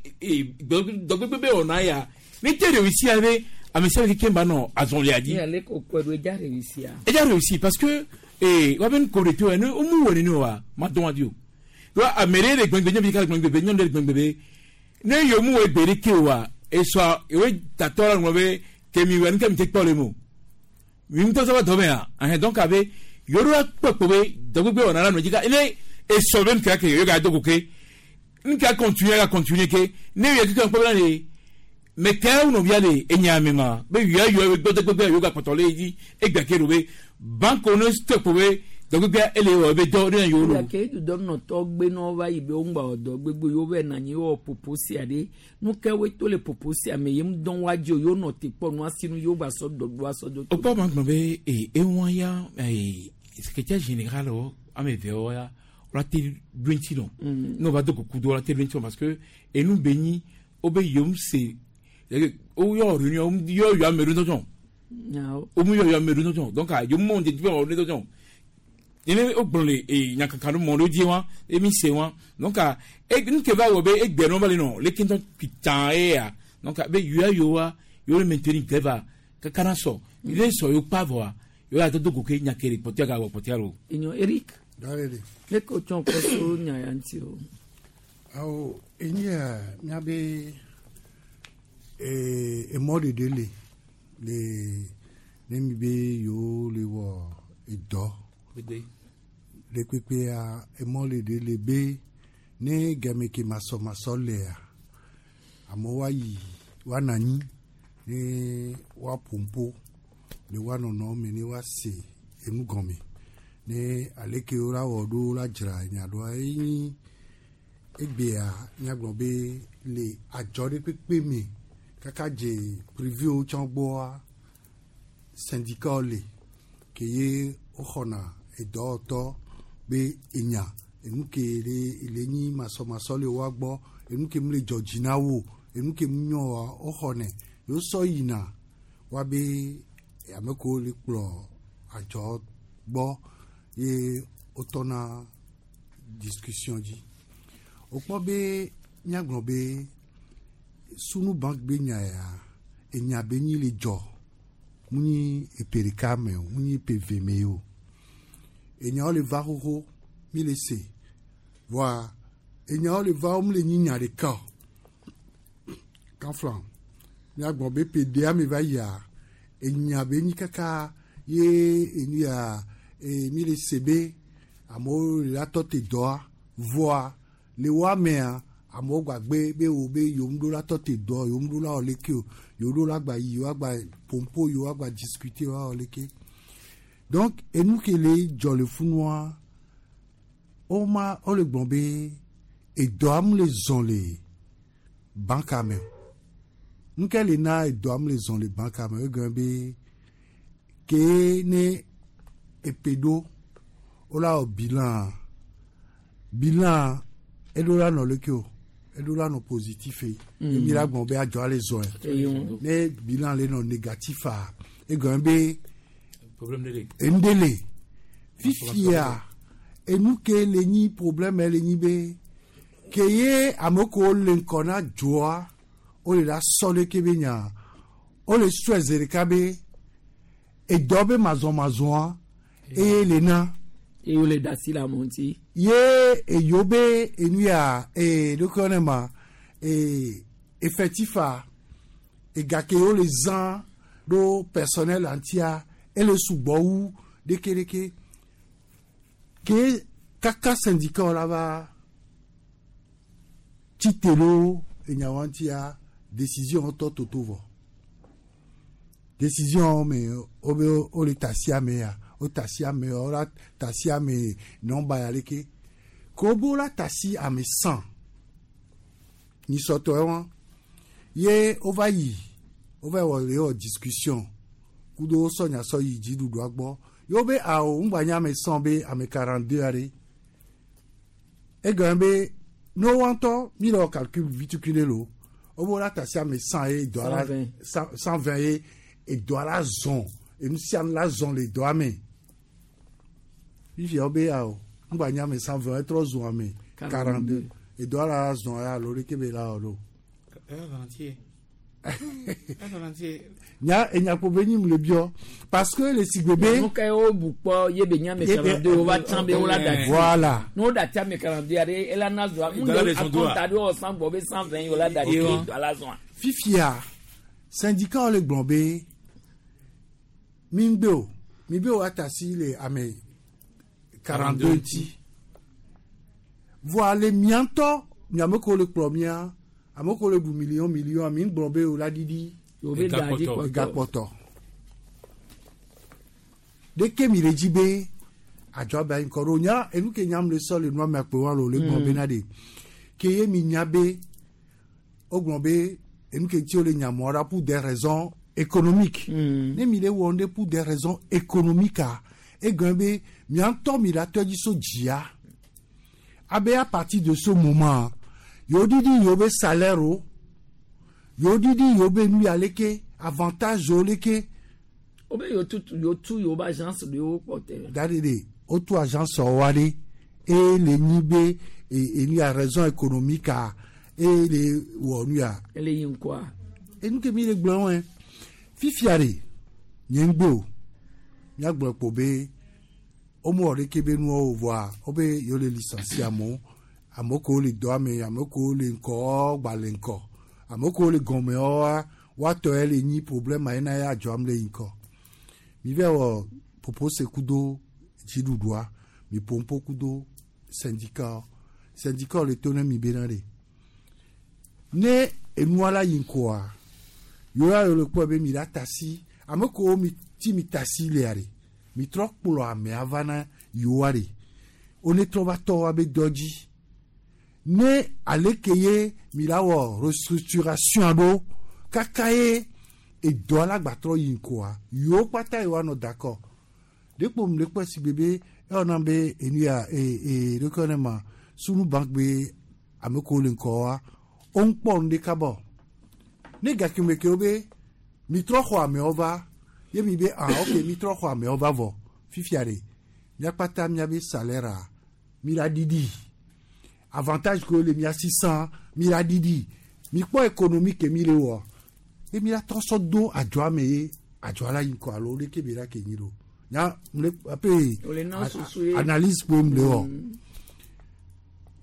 dɔ gbegbe be wɔna ya ne te réussi be ame sia ame keke ba nɔ azɔlia dzi. Ní ale ko kɔe do edza réussi a. Edza réussi parce que ee wa be nu ko de to yɛ ne wo mu wɔ nene wa ma dɔn wa di o wa ame ɖe le gbɛngbɛ nyɔnu ɖeka le gbɛngbɛ nyɔnu ɖe le gbɛngbɛ be ne yewo mu wɔ egbe ɖe ke wa esɔa ewe tatɔ la ŋlɔ be kemi wɛ nu ke mi te kpɔ le mo mi ŋutɔ sɔ va dɔ me ya ahɛn donc abe yewo ɖo la kpɔ kpɔ be dɔgbegbe wɔna la nɔ dzi ka ne esɔ be nu ke ke yewo ga do ko ke nu ke continuer ka continuer ke ne yɛ keke kpɔ be la le mɛ kɛ wo nɔvia le enya me ma be yɔ yɔ gbɛgbɛgbɛ yewo ga kpɔtɔ le yi dzi egbe ke do be banque ne stop be dɔgbɛgbɛ ele wɔ ebe dɔ ne yewo lo. Ke dudɔnɔtɔ gbe na wova yi be wo ŋgba wɔ dɔ gbegbe yewo va nɔ anyi wɔ popo sia ɖe nu ke woe to le popo sia me ye ŋu dɔn wa dzi o yewo nɔ te kpɔ nua sinu yewo gba sɔ dɔ do asɔ do. O kpɔ ma gblɔ be ee eŋua ya ee secrétaire général wo ame eve wo ya la te ɖo ŋuti nɔ ne wova do goku do la te ɖo ŋuti nɔ parce que enu be nyi wobe yom se woyɔ réunion yɔ yɔ ame ɖo ŋutɔ wo mu yɔ yɔ ame ɖo ŋutɔ donc yom mɔ ŋdedi be wɔ ɖo ŋutɔ nene wogblɔ le e nyakaka ɖo mɔ ɖo dzi wa emi se wa donc e nu ke va wɔ be egbe nɔ va le nɔ leke ŋutɔ pitã eya donc be yoya yowa yewo le maintenir grève kaka na sɔ ne sɔ yewo kpa vɔa yewo la do goke nyakere kpɔtɔa ga wɔ kpɔtɔa lo. Enyo Eric. Dalele. Ne ko tsɔn kɔ so nya ya ŋuti o. Awo enye miabe ee emɔ ɖeɖe le le ne mi be yewo le wɔ edɔ le kpekpea emɔ ɖeɖe le be ne game ke masɔmasɔ lea amewo ayi woanɔ anyi ne woaƒo ƒo le woanɔnɔ me ne woase enu gɔme ne aleke wola wɔ ɖo la dzra nya ɖoa enyi egbea míagblɔ be le adzɔ ɖe kpekpe me kaka dze privéwo tsã gbɔa syndicat le ke ye woxɔna edɔwɔtɔ be enya enu ke le le nyi masɔmasɔ le woa gbɔ enu ke mu le dzɔ dzi na wo enu ke mu nyɔ wa woxɔnɛ yewo sɔ yina woabe ame kewo le kplɔ adzɔ gbɔ ye wotɔna discussion dzi wokpɔ be míagblɔ be sunu bank be nya ya enya be nyi le dzɔ mu nyi epe ɖeka me o mu nyi epe ve me o enyawo le va xoxo mi le se voa enyawo le va wo mu le nyi nya ɖeka o kanflan míagblɔ be ƒe ɖea me va yia enya be nyi kaka ye enu ya e, mi le se be amewo le la tɔ te dɔa voa le woa mea amewo gbagbe be wo be yewo ɖo la tɔ te dɔ yewo ɖo la wɔ leke o yewo ɖo la gba yi yewo agba pompo yewo agba discuter yewo awɔ leke donc enu ke le dzɔ le funua woma wole gblɔ be edɔa mu le zɔn le banka me o nu ke le na edɔa mu le zɔn le banka me o egɔme be ke ne epe ɖo wola wɔ bilan bilan eɖo la nɔ leke o eɖo la nɔ positif ye mm. emi la gblɔ be adzɔ le zɔn ye ne bilan le nɔ négatif a egɔme be enu ɖe le fifia enu ke le nyi problème le nyi be ke ye ame kewo le ŋkɔ na dzoa wole la sɔ ɖeke be nya wole sɔe zi ɖeka be edɔ be mazɔmazɔa eye le na. Eye wole da asi le amewo ŋuti. Ye eyo be enu ya ee ɖokui ne ma ee effectif a ega ke wole zã ɖo personnel ŋutia ele sugbɔ wu ɖekeɖeke ke kaka syndicat la va tsi te ɖo enyawo ŋutia décision tɔ toto vɔ décision me wobe wole tasi ame ya wo tasi ame wo la tasi ame nɔmba ya leke ke wobe wola tasi ame cent nyisɔtɔ wa ye wova yi wova wɔ le wɔ discussion kudo sɔnya sɔ yi dziɖuɖua gbɔ ye wobe awo ŋgba nye ame cent be ame quarante deux aɖe egɔme be ne woa ŋutɔ mi le wɔ calcul vitukui ɖe lo wobe wola tasi ame cent ye dɔa la cent vingt ye edɔa la zɔn enu sia nu la zɔn le dɔa me fifia wobe awo ŋgba nye ame cent vingt etrɔ zɔn ame quarante deux edɔa la zɔn ya alo ɖeke be la wɔ ɖo. Nya enyakpo be nyi mu le biɔ parce que le sigbe be. Nu ka wo bu kpɔ ye be nye ame quarante deux wova tsã be wola da ti. Voilà. Ne wo da ti ame quarante deux aɖe ela na zɔa nu de akɔnta ɖe wɔ san gbɔ be cent vingt wola da ti dɔa la zɔa. Fifia syndicat le gblɔ be mi ŋgbe o mi be wa tasi le ame quarante deux ŋuti voa le mia ŋutɔ miame kewo le kplɔ mia ame kewo le ɖu million million mi ŋgblɔ be o la ɖiɖi egakpɔtɔ ɖeke mi le dzi be adzɔ be anyi kɔ ɖo nya enu ke nyam le sɔ le nua me akpe wa le o le gblɔ bena ɖe ke ye mi nya be wogblɔ be enu ke ŋuti wo le nyamɔ ɖa pour des raisons économiques ne mi le wɔ nu ɖe pour des raisons économiques a egɔme be mia ŋutɔ mi la tɔ dzi so dzia Abe à partir de ce moment, yo didi yo be salaire o, yo didi yo be nu ya leke, avantage yo leke. O be yo tu yo tu yo ba agence de yo porter. Dadede, o tu agence wale e le nibe e e nu ya raison économique a e le wo nu ya. Ele yin quoi. E nu ke mi le gbon won. Fifiare nyengbo. Nya gbon po be o mo ore ke be nu o voa, o be yo le licencier amo, amo ko le do ame, amo ko le nko gba le nko. Amo ko le gonme o wa, wa to ele ni problème na ya jo am le nko. Mi ve wo propose kudo jidudua, mi pompo kudo syndicat, syndicat le tone mi benare. Ne enuala yinkoa. Yo ya le po be mi la tasi, amo ko mi ti mi tasi le are. Mi tro kpolo ame avana yoare. One tro va to abe doji. Ne alekeye mi la wo restructuration ado kakaye e do ala gba tro yinkoa. Yo pata yo ano d'accord. Depo mi le pe si bébé e ona be enu ya e e rekone ma sunu bank be ameko le nkoa. On pon de kabo. Ne gakimeke obe mi tro xo ame ova. Ye mi be ah ok mi tro xo ame ova vo. Fifiare. Mi apata mi abe salaire mi la didi. Avantage que le mi a six cents mi la didi. Mi po économique mi le wo. E mi la troso do adjoa me adjoa la yinko alo le ke be la ke nyiro. Nya mle ape analyse po mle wo.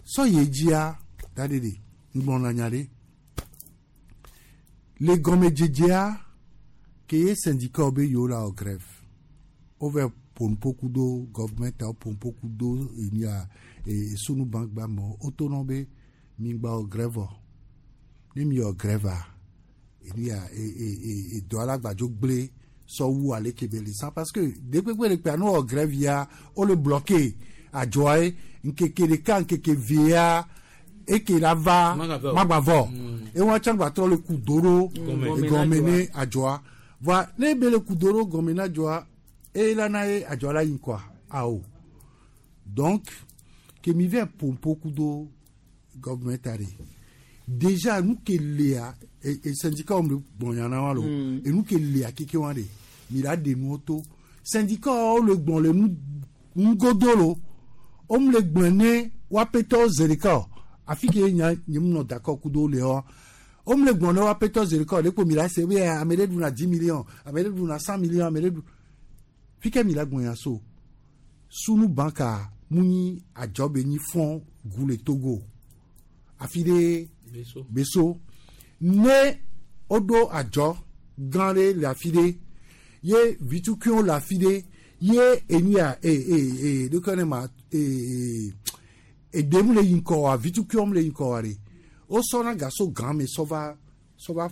So ye jia dadede ngbon na nyare. Le gome djedjea ke ye syndicat obe yo la o grève. Over pompo kudo government a pompo kudo enia e sunu bank ba mo autonome mingba o grève. Ni mi o grève a enia e e e e do ala gbajo gble so wu ale kebele ça parce que depuis que le piano o grève ya o le bloqué a joie nkeke de kan nkeke via e ke la va magbavo e won chan gba tro le kudoro e gomene ajoa va ne be le kudoro gomene ajoa e la na e ajoa la yin quoi ao donc que mi vient pompo kudo government are déjà nous ke lea et et syndicat on bon yana wa lo et nous ke lea keke wa de mi la de nous auto syndicat o le bon le nous ngodolo o me le gbone wa peto zerika afike nya nyim no d'accord kudo le o o me le gbone wa peto zerika le ko mi la se we amere du na dix millions amere du na cent millions amere du fike mi la gbon ya so sunu banka muni ajobe ni fond gule Togo afide beso beso ne odo ajo ganre la fide ye vitukion la fide ye enia e e e de kone ma e e demu le yinko a vitukion le yinko are o sona gaso gan me sova sova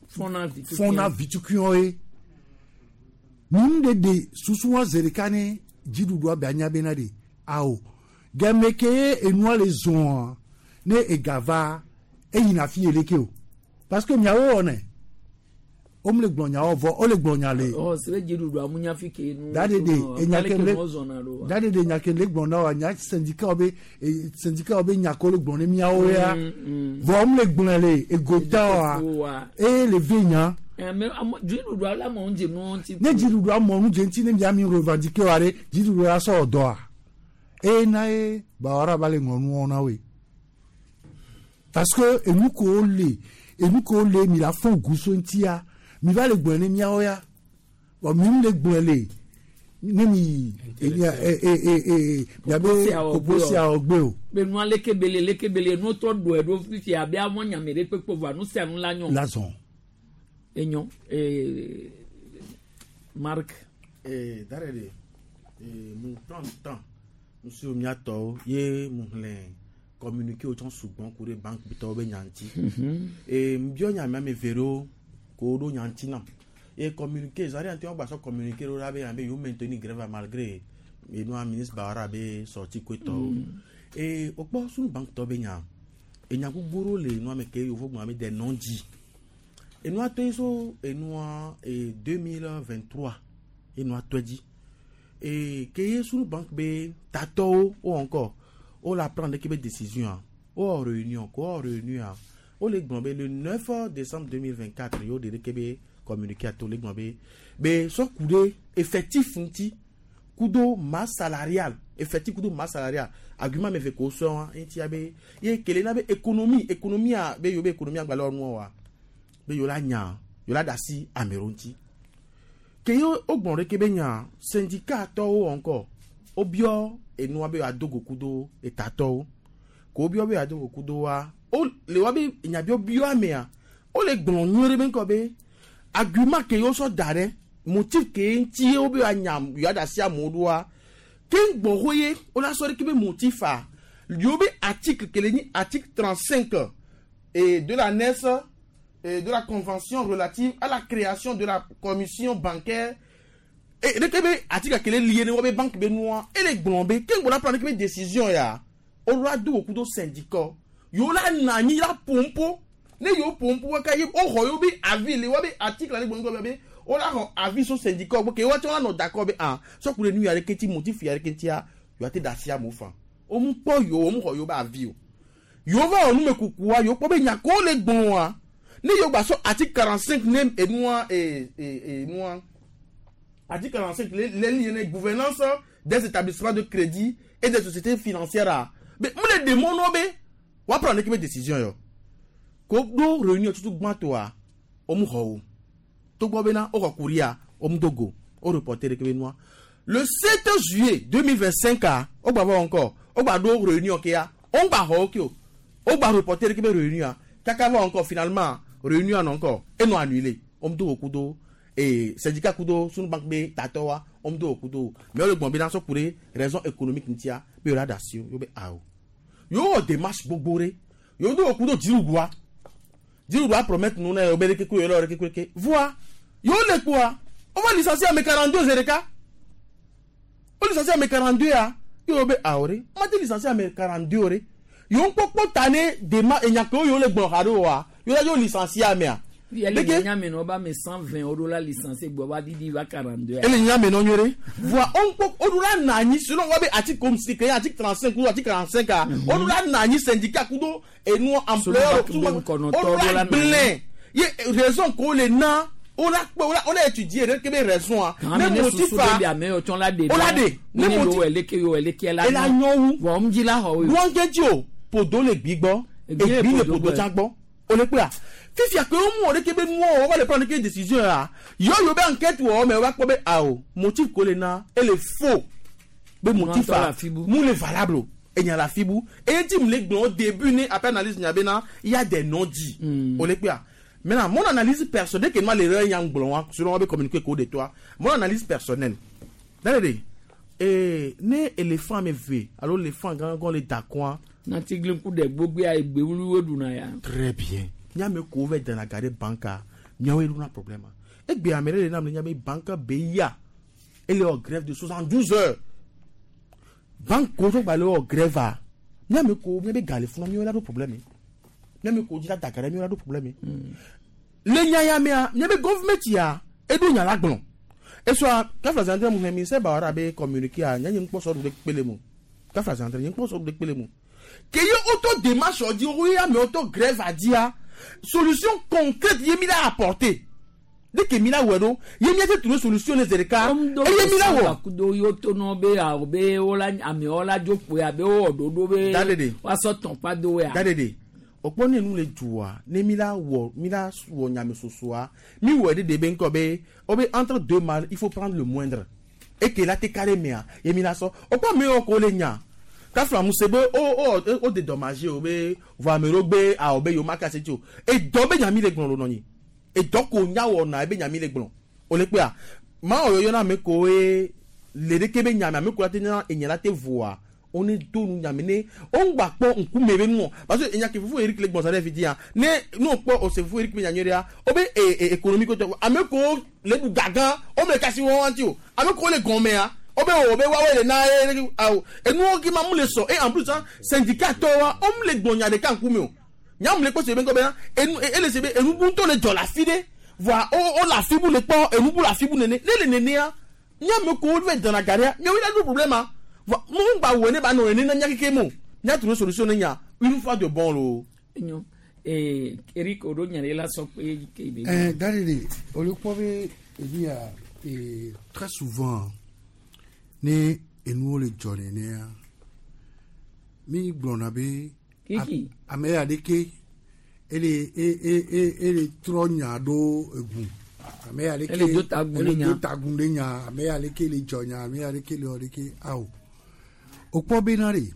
fona vitukion fona vitukion e mun de de susuwa zerekane jidudu abe anya be na de ao gemeke enua le zon ne egava e yina fi eleke o parce que miawo one o mle gbonya ovo o le gbonya le o se jidudu amunya fi ke nu dade de enya ke le dade de nya ke le gbona wa nya syndicat obe syndicat obe nya ko le gbone miawo ya vo mle gbona le egota wa e le venya mais jidudu ala mo nje no ti ne jidudu amo nje ti ne mi ami revendiquer wa re jidudu a so odo a e na e ba ora ba le ngonu ona we parce que enu ko le enu ko le mi la fon guso ntia mi va le gbone mi aoya o mi le gbone le ne mi e e e e ya be oposi a ogbe o be nu ale kebele le kebele nu to do e do fifi abi amon nya mere pepo va nu se nu la nyon la zon enyo eh Marc eh darele eh mon temps temps monsieur Miato ye mon communiquer autant souvent pour les banques bito be nyanti et mbio nya me vero ko do nyanti na et communiquer zari anti on ba so communiquer ro be ambe you maintenir grève malgré et nous ministre Bara be sorti kweto et opo sunu banque to be nya e nya gbogbo le no me ke yo fo me des non dit et nous a so et nous et deux mille vingt-trois et nous a dit et que sunu banque be tato ou encore o la prendre ke be décision a o wɔ réunion ko wɔ réunion a o le gblɔ be le neuf décembre deux mille vingt quatre ye o de ke be communiqué a to le gblɔ be be sɔ ku ɖe effectif ŋuti kudo masse salariale effectif kudo masse salariale argument me ve ko sɔ wa eŋutia be ye kele na be économie économie a be yewo be économie agbalẽ wɔ nua wa be yewo la nya yewo la da asi amewo ŋuti ke ye wo gblɔ ɖe ke be nya syndicat tɔwo encore wobiɔ enua be yewoado go kudo etatɔwo ko wobiɔ be yewoado go kudo wa wo le wa be nyabiɔbiɔ amea wole gblɔ nyuie ɖe be ŋkɔ be argument ke yewo sɔ da ɖe motif ke ŋuti ye wo be yewoanya yewoada asi amewo ɖoa ke ŋgbɔ ye wola sɔ ɖe ke be motif a yewo be article ke le nyi article trente cinq et de l'annexe et de la convention relative à la création de la commission bancaire et ɖeke be article ke le lié ne wo be banque be nua ele gblɔ be ke ŋgbɔ la prendre ke be décision ya wola do wò kudo syndicat yewo la na anyi la pompo ne yewo pompo kaka ye woxɔ yewo be avis le wo be article ale gblɔ be wola xɔ avis so syndicat gbɔ ke woatsɔ la nɔ d'accord be ah sɔku ɖe nu ya ɖeke ŋuti motif ya ɖeke ŋutia yewoa te da asi amewo fa wo mu kpɔ yewo wo mu xɔ yewo be avis o yewo va wɔ numekukua yewo kpɔ be nya ko le gblɔa ne yewo gba sɔ article quarante cinq ne enua ee ee enua article quarante cinq le le lié ne gouvernance des établissements de crédit et des sociétés financières a be mu le demɔ nɔ be woa prendre ke be décision yɔ ko ɖo réunion tutu gbãtɔa wo mu xɔ o togbɔ bena woxɔ courrier wo mu do go wo reporter ɖe ke be nua le sept juillet deux mille vingt cinq a wo gba va encore wo gba ɖo réunion kea wo gba xɔ wo ke o wo gba reporter ɖe ke be réunion a kaka va encore finalement réunion nɔ encore enɔ annulé wo mu do go kudo ee syndicat kudo sunu banque be tatɔwa wo mu do go kudo mais wo le gbɔn bena sɔ ku ɖe raison économique ŋutia be yewo la da asi wo yewo be awo yewo wɔ démarche gbogbo ɖe yewo do go kudo dziɖuɖua dziɖuɖua promettre nu na yewo be ɖeke ku yewo le ɖeke ku ɖeke voa yewo le kpoa wova licencier ame quarante deux zi ɖeka wo licencier ame quarante deux ya yewo be awo ɖe mate licencier ame quarante deux ɖe yewo kpɔkpɔ ta ne dema enya kewo yewo le gblɔ xa ɖo wa yewo la yewo licencier amea. Ele nyame nɔ ba me cent vingt o ɖo la licencier gbɔ va didi va quarante deux. Ele nyame nɔ nyuie ɖe voa wo ŋkpɔ wo ɖo la na anyi selon wa be article comme si ke article trente cinq kudo article quarante cinq a wo ɖo la na anyi syndicat kudo enu employeur wo ɖo la gblẽ ye raison ko le na wo la kpɔ wo la wo la étudier ɖe ke be raison a ne motif a wo la ɖe ne motif ela nyɔ wu vɔn ŋdzi la xɔ wo. Wɔn ŋdzi o podo le gbi gbɔ egbi le podo tsã gbɔ o le kpea fifia ke wo mu wɔ ɖeke be nuwɔ wo va le prendre ke décision ya yɔ yewo be enquête wɔ me wo va kpɔ be awo motif ko le na ele faux be motif a mu le valable o enya la fibu eye ti mu le gblɔ au début ne après analyse nya be na il y a des non-dits o le kpea maintenant mon analyse personnelle dès que moi l'erreur nya gblɔ wa selon wa be communiquer ko de toi mon analyse personnelle dale de ee ne éléphant me ve alo éléphant gãgã le da kɔa. Natigli ku ɖe gbogbo ya egbe wluwo ɖuna ya. Très bien nyame ko vɛ dana ga ɖe banka miawoe ɖona problème egbe ame ɖe le nam le nya be banque be ya ele wɔ grève de soixante douze heures banque ko tó gba le wɔ grève a miame ko miabe ga le funa miawoe la ɖo problème miame ko dzi la da ga ɖe miawoe la ɖo problème le nya ya mea miabe gɔvmɛnt ya eɖo nya la gblɔ esɔa kafla zantre mu hɛn ministère bawara be communiqué a nya nye ŋkpɔsɔ ɖu ɖe kpele mu kafla zantre nye ŋkpɔsɔ ɖu ɖe kpele mu ke ye woto démarche dzi wo ye amewo to grève adzia solution concrète ye mi la apporter dès que mi la wɔ ɖo ye mi ate trouver solution ne zi ɖeka eye mi la wɔ. Kudo yewo to nɔ be awɔ be wola amewo la dzo kpoe abe wowɔ ɖoɖo be Dadede. woasɔ tɔn do ya. Dadede okpɔ ne nu le dua ne mi la wɔ mi la wɔ nyamesosoa mi wɔ ɖe de be ŋkɔ be wo be entre deux mal il faut prendre le moindre eke la te ka ɖe mea ye mi la sɔ okpɔ ame yiwo ko le nya kafla muse be o o o dédommagé o be vɔ ame ɖewo gbe awɔ be yewo ma kasi tsi o edɔ be nyami le gblɔ ɖo nɔ nyi edɔ ko nya wɔna ebe nyami le gblɔ o le kpea maa wɔ yɔyɔ na ame koe le ɖeke be nyame ame ko la te nya enya la te voa one do nu nyame ne o ŋgba kpɔ ŋkume be nuɔ parce que enya ke fufu Eric le gbɔn sa ɖe fi dia ne ne o kpɔ o se fufu Eric be nyanyui ɖea o be e e économie ko tɔ ame ko le ɖu gagã o me kasi wɔn ŋuti o ame ko le gɔmea o be o be woawoe le na ye awo enuwo ki ma mu le sɔ et en plus hein, syndicat tɔ wa o mu le gbɔn nya ɖeka ŋkume o nyamu le kpɔ se be ŋkɔ bena enu ele se be enubu ŋutɔ le dzɔ le afi ɖe voa o o le afi bu le kpɔ enubu le afi bu nene ne le nenea nyame ko wo va dana ga ɖea miawoe la ɖo problème ma voa mu ŋgba wɔ ne ba nɔ nene na nya keke mo Mia trouver solution ne nya une fois de bon lo. Enyo eh Eric odo nya le la sɔ pe ke be. Eh, Dalili, olùkọ́ bɛ ebi ya eh, très souvent ne enuwo le dzɔ nenea mi gblɔna be Kiki. ame aɖeke ele e e e ele trɔ nya ɖo egu ame aɖeke Ele do ta gu ele ɖe nya. do ta gu ɖe nya ame aɖeke le dzɔ nya ame aɖeke le wɔ ɖeke awo wokpɔ bena ɖe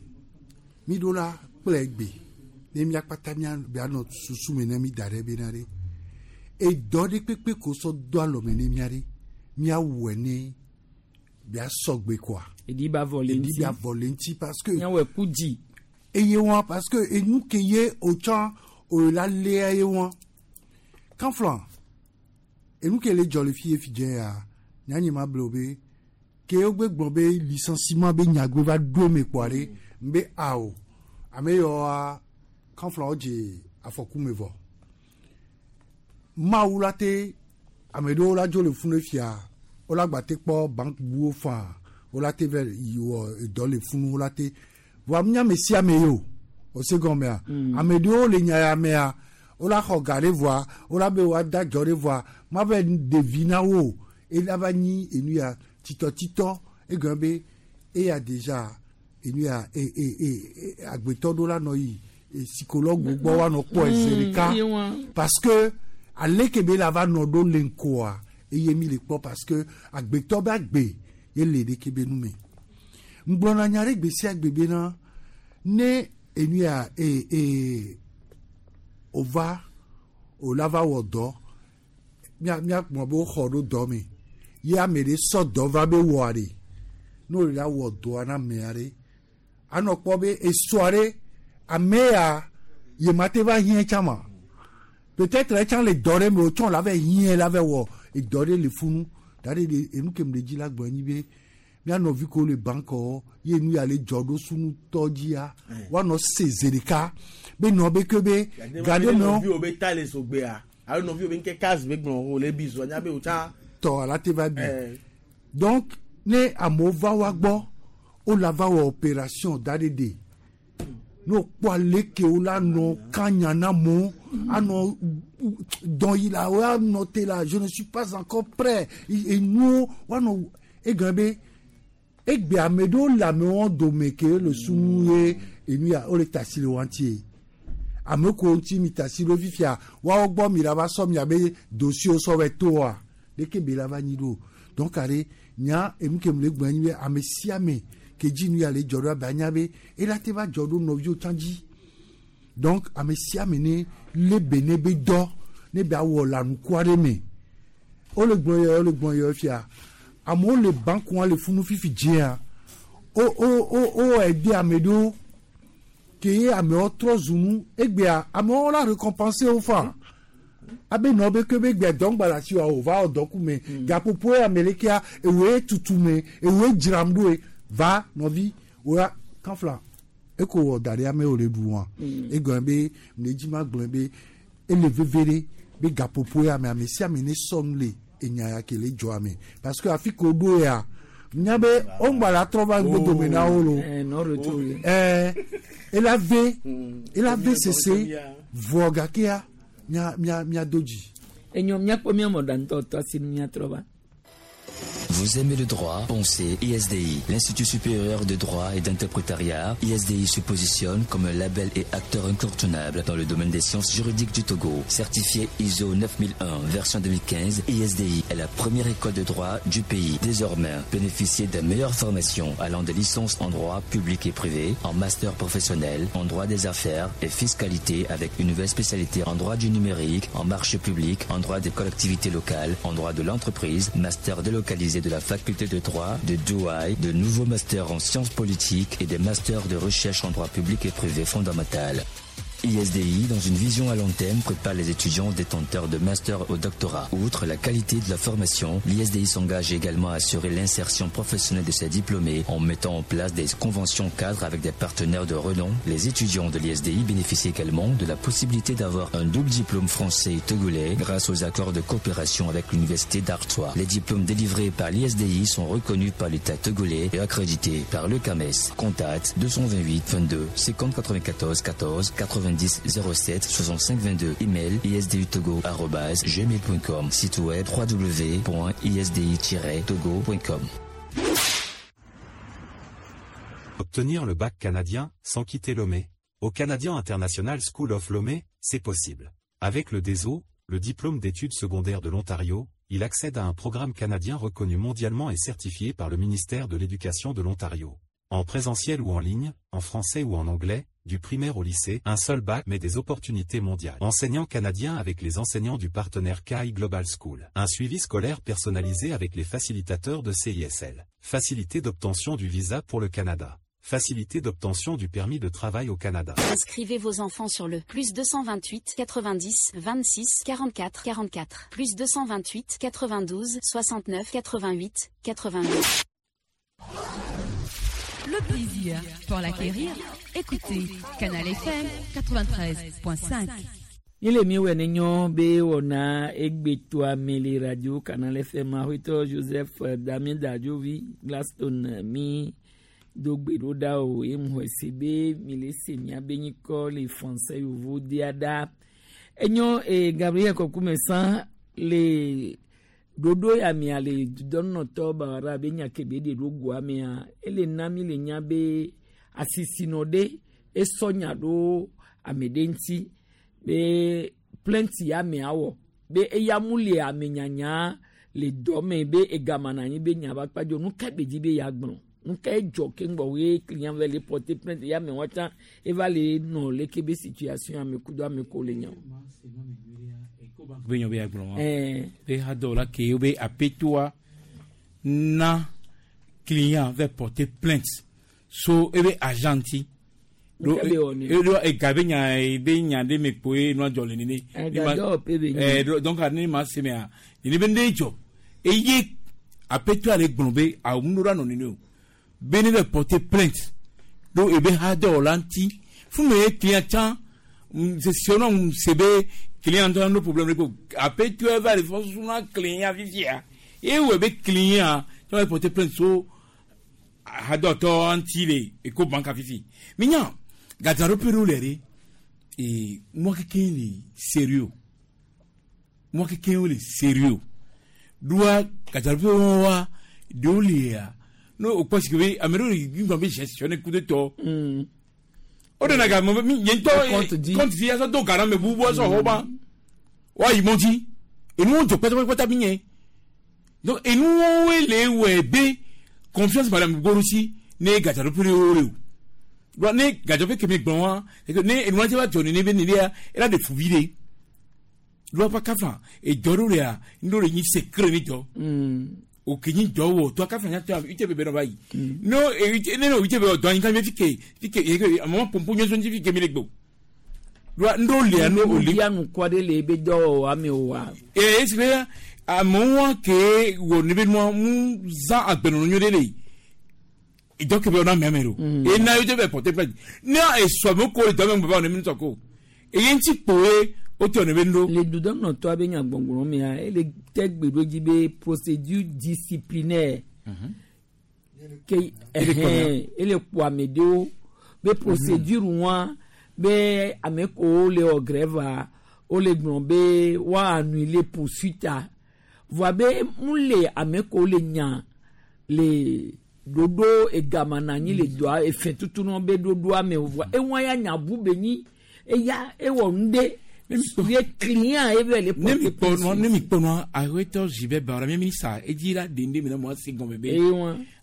mi ɖo la kple gbe ne miakpata mia bianɔ susu me ne mi da ɖe bena ɖe edɔ ɖe kpekpe ko sɔ do alɔme ne mia ɖe miawɔe ne bia sɔgbe koa. Edi ba vɔ le Edi ŋuti. bia vɔ le ŋuti parce que. Miawɔe ku dzi. Eye wɔn parce que enu ke ye o tsã o la lea ye wɔn kanflan enu ke le dzɔ le fi ye fi dze ya nyanyi ma ble o be ke wo gbe gblɔ be licenciement be nyagbe va ɖo eme kpɔa ɖe n be awo ame yawoa kanflan wo dze afɔku me vɔ mawu la te ame ɖewo la dzo le funu fia wo la gba te kpɔ bank buwo faa wo la te vɛ yi wɔ edɔ le funu wo la te voa nya ame sia ame ye o o se gɔmea ame ɖewo le nya ya mea wo la xɔ ga ɖe voa wo la be wa da dzɔ ɖe voa ma vɛ ɖevi na wo o ela va nyi enu ya titɔtitɔ egɔme be eya déjà enu ya e e e e agbetɔ ɖo la nɔ yi e psychologue gbɔ wa nɔ kpɔ eze ɖeka Mm, ye wa. parce que ale ke be la va nɔ ɖo le ŋkɔa eye mi le kpɔ parce que agbetɔ be agbe ye le ɖeke be nu me ŋgblɔna nya ɖe gbe sia gbe bena ne enu ya e e o va o la va wɔ dɔ mia mia kplɔ be woxɔ ɖo dɔ me ye ame ɖe sɔ dɔ va be wɔa ɖe ne o la wɔ dɔa na amea ɖe anɔ kpɔ be esɔa ɖe ame ya ye ma te va hiã tsã ma peut-être etsã le dɔ ɖe me o tsɔ la va hiã la va wɔ edɔ ɖe le funu da ɖe ɖe enu ke me le dzi la gblɔ nyi be mía nɔvi ko le bankɔ ye nu ya le dzɔ ɖo sunutɔ dzia woanɔ se zi ɖeka be nɔ be ke be ga ɖe me wo nɔviwo be ta le sogbea alo nɔviwo be nke kazi be gblɔ wo le bi zɔ nya be o tsã. tɔ ala te va bi Eh. donc ne amewo va wa gbɔ wo la va wɔ opération da ɖe de ne wokpɔ aleke wo la nɔ kanya na amewo anɔ dɔn yi la wo anɔ te la je ne suis pas encore prêt enuwo woanɔ egɔme be egbe ame ɖewo le amewo dome ke le sunu ye enu ya wo le tasi le wa ŋuti ye ame ko ŋuti mi tasi ɖo fifia woawo gbɔ mi la va sɔ miabe dossier sɔ vɛ toa leke be la va nyi ɖo donc are nya enu ke mu le gblɔ nyi be ame sia ame ke dzi nu ya le dzɔ ɖo abe anya be ela te va dzɔ ɖo nɔviwo tsã dzi donc ame sia ame ne lé be ne be dɔ ne be awɔ lãnuku aɖe me wole gblɔ yɔ wole gblɔ yɔ fia amewo le bankua le funu fifi dzia wo wo wo wo ɛde ame ɖewo ke ye amewo trɔ zu nu egbea amewo la récompenser wo fa abe nɔ be ke be gbea dɔngba le asi wa o va wɔ dɔku me gaƒoƒo ye ame lekea ewoe tutu me ewoe dzram ɖo ye va nɔvi woya kanfla eko wɔ da ɖe amewo le ɖu wa egɔme be mle dzi ma gblɔ be ele veve ɖe be gaƒoƒo ya me ame sia ame ne sɔ nu le enya ya ke le dzɔ ame parce que afi ke woɖo ya nya be woŋgba la trɔ va ŋgbedome na wo lo Eh, non retour. ɛɛ ela ve ela ve sese vɔ gakea mia mia mia do dzi. Enyo miakpɔ miamɔ ɖantɔ tɔ asi nu miatrɔ va. Vous aimez le droit? Pensez I S D I, l'Institut supérieur de droit et d'interprétariat. I S D I se positionne comme un label et acteur incontournable dans le domaine des sciences juridiques du Togo. Certifié I S O neuf mille un, version deux mille quinze, I S D I est la première école de droit du pays. Désormais, bénéficiez de meilleures formations allant des licences en droit public et privé, en master professionnel, en droit des affaires et fiscalité avec une nouvelle spécialité en droit du numérique, en marché public, en droit des collectivités locales, en droit de l'entreprise, master délocalisé de la faculté de droit de Douai, de nouveaux masters en sciences politiques et des masters de recherche en droit public et privé fondamental. I S D I, dans une vision à long terme, prépare les étudiants détenteurs de master au doctorat. Outre la qualité de la formation, l'I S D I s'engage également à assurer l'insertion professionnelle de ses diplômés en mettant en place des conventions cadres avec des partenaires de renom. Les étudiants de l'I S D I bénéficient également de la possibilité d'avoir un double diplôme français et togolais grâce aux accords de coopération avec l'université d'Artois. Les diplômes délivrés par l'I S D I sont reconnus par l'État togolais et accrédités par le C A M E S. Contact deux cent vingt-huit vingt-deux cinquante quatre-vingt-quatorze quatorze quatre-vingt-dix zéro sept soixante-cinq vingt-deux. Email i s d u togo arobase gmail point com. Site web w w w point i s d i tiret togo point com. Obtenir le bac canadien sans quitter Lomé. Au Canadian International School of Lomé, c'est possible. Avec le D E S O, le diplôme d'études secondaires de l'Ontario, il accède à un programme canadien reconnu mondialement et certifié par le ministère de l'Éducation de l'Ontario. En présentiel ou en ligne, en français ou en anglais, du primaire au lycée, un seul bac mais des opportunités mondiales. Enseignants canadiens avec les enseignants du partenaire K I Global School. Un suivi scolaire personnalisé avec les facilitateurs de C I S L. Facilité d'obtention du visa pour le Canada. Facilité d'obtention du permis de travail au Canada. Inscrivez vos enfants sur le plus deux cent vingt-huit quatre-vingt-dix vingt-six quarante-quatre quarante-quatre plus deux cent vingt-huit quatre-vingt-douze soixante-neuf quatre-vingt-huit quatre-vingt-huit. Le plaisir pour l'acquérir, écoutez Canal F M quatre-vingt-treize point cinq. Il est mieux nyo be wona egbeto amele radio Canal F M ahwito Joseph Damien Dadjovi Glaston mi dogbe da o emho sebe mi le se mi abenyiko le français yovo diada enyo e Gabriel Kokumesan le dodo ya mi ale donnotɔ bawara be nya kebe de do goa mea ele na mi le nya be asisino de esɔ nya ɖo ame ɖe ŋuti be plainte ya mea wɔ be eya mu le ame nyanya le dɔ me be egama na anyi be nya ba kpadzo nu ka be dzi be ya gblɔ nu ka edzɔ ke ŋgbɔ ye client va le porter plainte ya me wɔtsã eva le nɔ leke be situation ame kudo ame ko le nya o. Be nyo be agblɔ be ha dɔ la ke be apetoa na client va porter plainte so ebe agent do do e gabe nya be nya de me poe no jɔ le nene eh donc ani ma se me a ni be ne jɔ e ye apetoa le gblɔ be a mu ra no nene o be ne be porter plainte do ebe ha dɔ la nti fu me client tan c'est sinon c'est be client a un problème après tu vas aller faire son client vivia et ouais be client tu vas porter plainte so hadoto antile et ko banque fifi mignon gazaro peru lere et moi qui est sérieux moi qui est sérieux doit gazaro peru wa dolia no au parce que amero il va gestionner coup de to o de naga mo mi yento compte di aso do gara me bubu aso hoba wa imonti et nous on te pète pas ta donc et nous on les web confiance madame Gorusi ne gajaro pure ore o ne gajaro pe kemi gbon wa ne enu ti wa joni ne be ni dia era de fubire lo pa kafa e joro re a ndo re yin secret ni jo o kinyi jo wo to kafa nya to ite bebe no bayi no e ne no ite be do yin kan me fike fike e mo pompo nyo so fike mi le gbo lo ndo le no o le ya nu kwa de le be do ame o wa e e se àmọ́ wọn ké wò níbi wọn mú zan agbẹnunu nyó délé ìjọkẹ̀bẹ̀ ọ̀nà mẹ́mẹ́ ro iná yóò jẹ́ bẹ̀ pọ̀tẹ́ pẹ̀lú ní èso àmì kó ìjọba ń bọ̀ ọ̀nà mi sọ̀kò èyí ń ti pòwe ó ti ọ̀nà mi ń lò. Le dudɔnɔ tɔ abe nya gbɔngbɔn mea ele tɛ gbeɖodzi be procédure disciplinaire ke ɛhɛn ele kpɔ ame ɖewo be procédure wa be ame kowo le wɔ grève wole gblɔ be woa annuler poursuite voa be mu le ame kowo le nya le ɖoɖo egama na anyi le dɔa efe tutu nɔ be ɖoɖoa me voa ewa ya nya bu be nyi eya ewɔ nu ɖe ye client ebe le ne mi kpɔ nua ne mi kpɔ nua awetɔ zi bɛ bara mi mi sa edzi la dende mi na mo asi gɔme be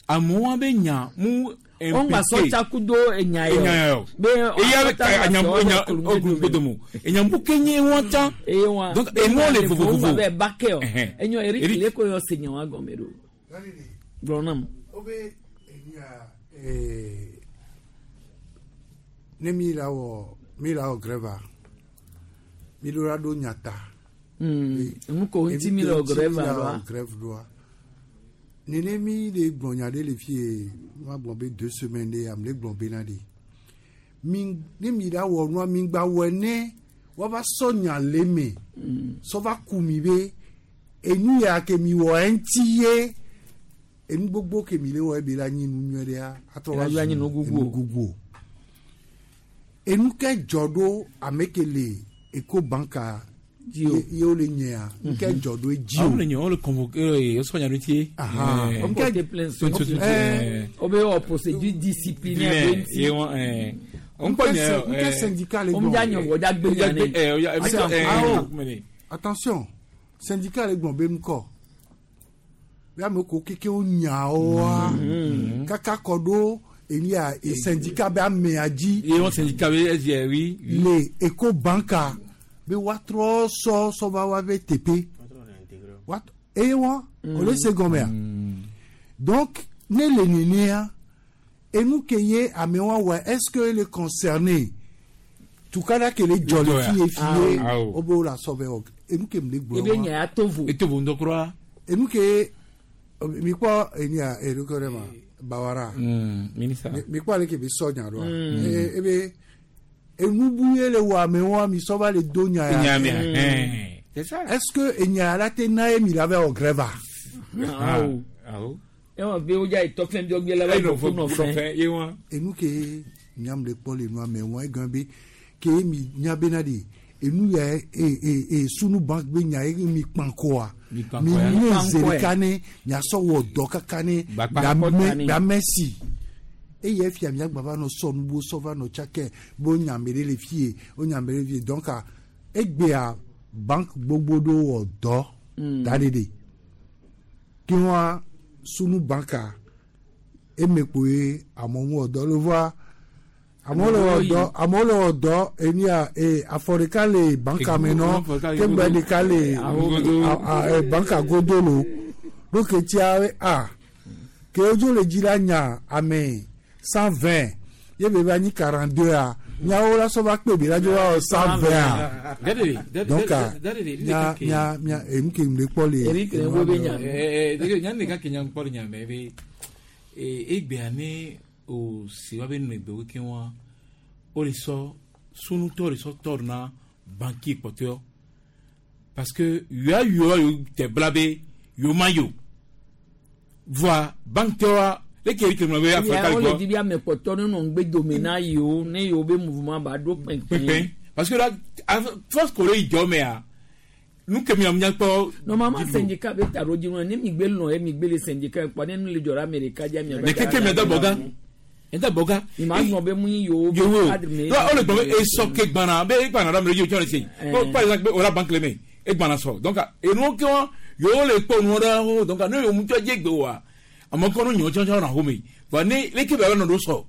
amewo be nya mu wọn gba sọ tsakudo enya yɔ be eya bɛ anya enya ogundomo enya kenye wọn tan donc enu le vovovovo bɛ ba kɛ o enyo eri kile ko yɔ se nya wa gɔmɛ do gblɔnam. O bɛ enya ne mi la wɔ Mi la wɔ grève a mi ɖo la ɖo nyata. Nu ko ŋuti mi le wɔ grève ɖoa? Grève ɖoa. Nene mi le gblɔ nya ɖe le fie ma gblɔ be deux semaines ɖe ame le gblɔ bena ɖe. Mi ne mi la wɔ nua mi gba wɔe ne woava sɔ nya le me. Sɔ va ku mi be enu ya ke mi wɔ eŋuti ye enu gbogbo ke mi le wɔ ebe la nyi nu nyuie ɖea atrɔ va Ela zu nyi nu gugu o. enu gugu o. Enu ke dzɔ ɖo ame ke le Ecobank Dzi o. ye ye wole nyea nu ke dzɔ ɖo edzi Ah, o. wole nye wole convoqué wosɔ nya ɖo ŋuti. Aha. Eh. O porter plainte Tso- tso- tso- Eh. o be wɔ procédure disciplinaire ɖe ŋuti. Ye wɔn ɛɛ. Nke syn- nke syndicat le O mu dza nye wɔ dza gbe nya ne. Ah, oh. Attention, syndicat le gblɔ be ŋkɔ. Be ame ko keke wo nyawoa kaka kɔ ɖo enia e syndicat be amea dzi. Ye wɔn syndicat be ɛdzi oui. Le Ecobank be woatrɔ sɔ sɔ va wa be teƒe. Woat- Eye wɔn o le se gɔmea. Donc ne le nenea enu ke ye amewo wɔ est-ce que le concerné tukada ke le dzɔ le fie fie Ah, oh. wo be wo la sɔ vɛ wɔ enu ke mi le gblɔ Ebe wa nya ya to vo. Eto vo ŋdɔ kura. enu ke mi kpɔ enia ereke ɖe ma bawara Ministre. Mi- mi kpɔ ale ke bi sɔ nya ɖoa Mm. E- ebe enubu ye le wɔ amewoa mi sɔ va le do nya ya Nya mea, ɛn. C'est ça. est-ce que enya ya la te na ye mi la vɛ wɔ grève a Ah, oh. Awo. Ewɔ be wo dza yi tɔfɛn bi ɔgbɛ la va yi fɔ nɔfɛn. Ye wɔn. enu ke nyam le kpɔ le nua me wɔn egã be ke mi nya bena de enu ya e e e sunu bank be nya ye mi kpan kɔa Mi kpan mi kɔ ya. ne Mi kpan ze kɔɛ. ɖeka ne miasɔ wɔ dɔ kaka ne Gbakpa. gbame gbame si eye fia miagba va nɔ sɔ nubo sɔ va nɔ tsakɛ be wo nya ame ɖe le fie wo nya ame ɖe le fie donc a, egbea bank gbogbo ɖewo wɔ dɔ da ɖe ɖe ke wɔa sunu banka eme kpoe amewo wɔ dɔ le voa amewo le wɔ dɔ amewo le wɔ dɔ enia e afɔ ɖeka le banka me nɔ ke gbe ɖeka le a- a- e, banka godo lo ɖo ke tia a ke wodzo le dzi la nya ame cent vingt ye be va nyi quarante deux a nyawo la sɔ va kpe bi la dzo va wɔ cent vingt a Dadede. donc a Dadede. nya nya nya enu ke mu le kpɔ le Eric le wo be nya. Eh, eh, nya ɖeka ke nya kpɔ le nya me be eh, egbea ne o si wa be nu egbewo ke wa o le sɔ sunutɔ le sɔ tɔ na banki kpɔtɔe parce que yoa yoa yo tɛ bla be yo ma yo voa banktɔa leke eri kele be Ya afɔ wo le kali di bi ame kpɔtɔ ne nɔ ŋgbe dome na yewo ne yewo be mouvement ba ɖo gbɔ kpɛnkpɛn. pɛpɛ parce que la force kore yi jɔ mea nu ke mi nya kpɔ Normalement syndicat be ta ɖo dzi nɔ ne mi gbe lɔn ye mi gbe le syndicat kpɔ ne nu le dzɔ ɖe ame ɖeka dzi amea. ne keke mi da bɔ gan da bɔ gan Mi ma gblɔ be mu yi yewo be yewo cadre me. o le gbɔn esɔ ke gbana be egbana ɖe ame ɖe dzi o tsɔ le se Eh. par exemple o la banque le me egbana sɔ donc enuwo ke wa yewo le kpɔ nuwo ɖe ho donc ne yewo ŋutɔ dze gbe wa ame kɔ no nyɔ tsɔtsɔ na home va ne leke be nɔ ɖo sɔ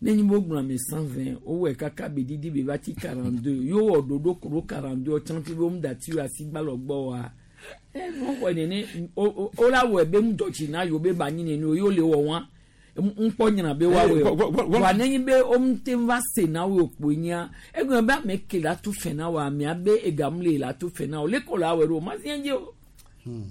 Ne nyi bo gblɔ ame cent vingt wowɔe kaka be didi be va ti quarante deux yewo wɔ ɖoɖo ko ɖo quarante deux tsã fi be wo mu da ti asi gbalɔ gbɔ wa. Ɛ nu xɔ nene o o o la wɔe be mu dɔtsi na yewo be ba nyi nene o yewo le wɔ wa ŋkpɔ nyina be wa wɔe o wa ne nyi be wo mu te va se na wo kpo nyia egblɔ be ame ke la tu fɛ na wa amea be egamu le la tu fɛ na o le ko la wɔe ɖo o ma si dzi o.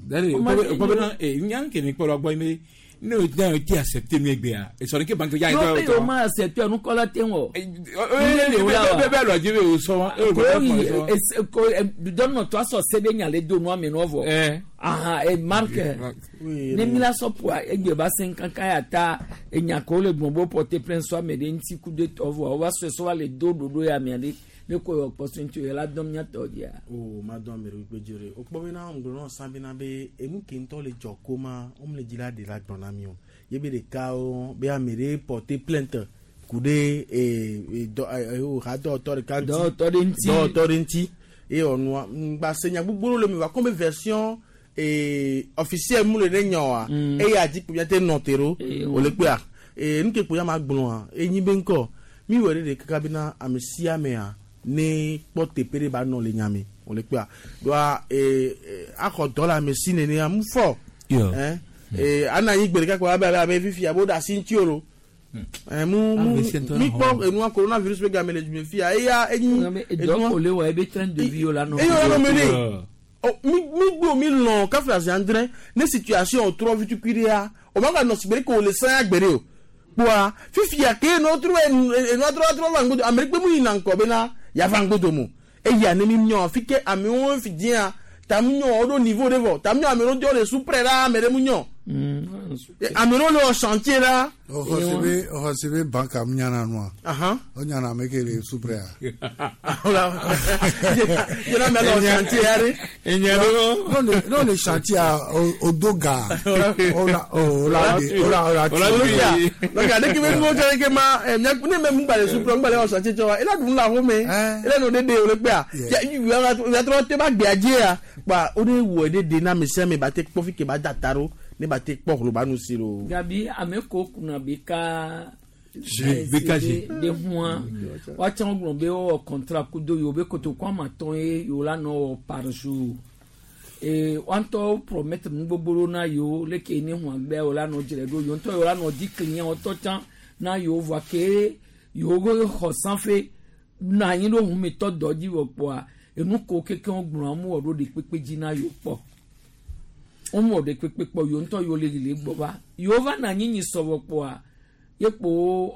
dari O ma o si kɔ bena ee nya ke ne kpɔ la gbɔ yi be ne o ne o ti accepter nu egbea esɔ ne ke banque ya N'o be o ma accepter nukɔla te wɔ. bɛ bɛ lɔ dzi be o sɔ wa ko yi ko dɔnɔ to asɔ se be nya le do nua me nɔ vɔ ahan e marque ne mi la sɔ poa egbe ba se kankan ya ta enya ko le gbɔn bo porter plainte so ame ɖe ŋuti ku de tɔ vɔ o va sɔe sɔ va le do ɖoɖo ya mia ɖe ne ko yɔ kpɔ so ŋuti o yɛ la dɔn mia tɔ dzia. o ma dɔn ame ɖe gbe dzre o kpɔ bena ŋgblɔ nɔ san bena be enu ke ŋutɔ le dzɔ ko ma wo me le dzi la ɖe la gblɔ na mi o ye be ɖeka wo be ame ɖe porter plainte ku ɖe ee e dɔ e o ha dɔwɔtɔ ɖeka ŋuti Dɔwɔtɔ ɖe ŋuti. dɔwɔtɔ ɖe ŋuti eye ɔnua ŋgba se nya gbogbo ɖewo le me va kɔn be version ee officielle mu le ɖe nya oa Mm. eye adzi kpo miate nɔ te ɖo Eh, o le kpea ee nu ke kpo ya ma gblɔa enyi be ŋkɔ mi wɔ ɖe ɖe kaka bena ame sia amea ne kpɔ teƒe ɖe ba nɔ le nya me o le kpea doa ee ee, axɔ dɔ le ame si nenea mu fɔ Yo. ɛn ee ana anyi gbe ɖeka kpɔ abe abe abe fifia bo ɖe asi ŋuti o lo Eh, mu mu mi kpɔ enua coronavirus be game le dzume fia eya enyi edɔ ko le wɔ ebe train de vie la nɔ eyo la nɔ mene Oh, mi mi gbo mi lɔn kafi azi andre ne situation trɔ vitukui ɖea o ma ka nɔ sigbe ko le sanya gbe ɖe o kpoa fifia ke enua trɔ enua trɔ trɔ va ŋgodo ame ɖe kpe mu yina ŋkɔ bena yava ŋgodo mo eya ne mi nyɔ fi ke amewo fi diã ta mu nyɔ wo ɖo niveau ɖe vɔ ta mu nyɔ ame ɖewo dzɔ le supre la ame ɖe mu nyɔ ame ɖewo le wɔ chantier la. ɔxɔsebe ɔxɔsebe banka mu nyana nua. O nyana ame ke le supre a. Jena mɛ lɔ chantier ya de. N'o le chantier a o do ga o la o la o la o la ti. Donc ale ke bɛ nuwo tsɛ ke ma ɛ mia ne mɛ mu gba le supre mu gba le wɔ chantier tsɔ wa ela dun la xɔ me ela nɔ de de o le kpea ya trɔ te ba gbea dzi ya kpa o de wɔ de de na ame sia ame ba te kpɔ fi ke ba da ta ɖo ne ba te kpɔ hlɔba nu si lo. Gabi ame ko kunna bi ka BKG. de hua watsã gblɔ be wowɔ contrat kudo yewo be kotoku ame atɔ̃ ye yewo la nɔ wɔ par jour ee woantɔ promettre nu gbogbo ɖewo na yewo leke ne hua gbea yewo la nɔ dzre ɖo yewo ŋutɔ yewo la nɔ di client wotɔ tsã na yewo vɔa ke yewo be xɔ sanfe nɔ anyi ɖo humetɔ dɔ dzi wɔ kpɔa enu ko kekeŋ gblɔ amu wɔ ɖo ɖe kpekpe dzi na yewo kpɔ womɔ ɖe kpekpe kpɔ yewo ŋutɔ yewo le le gbɔ va yewo va na anyi nyi sɔvɔ kpɔa ye kpo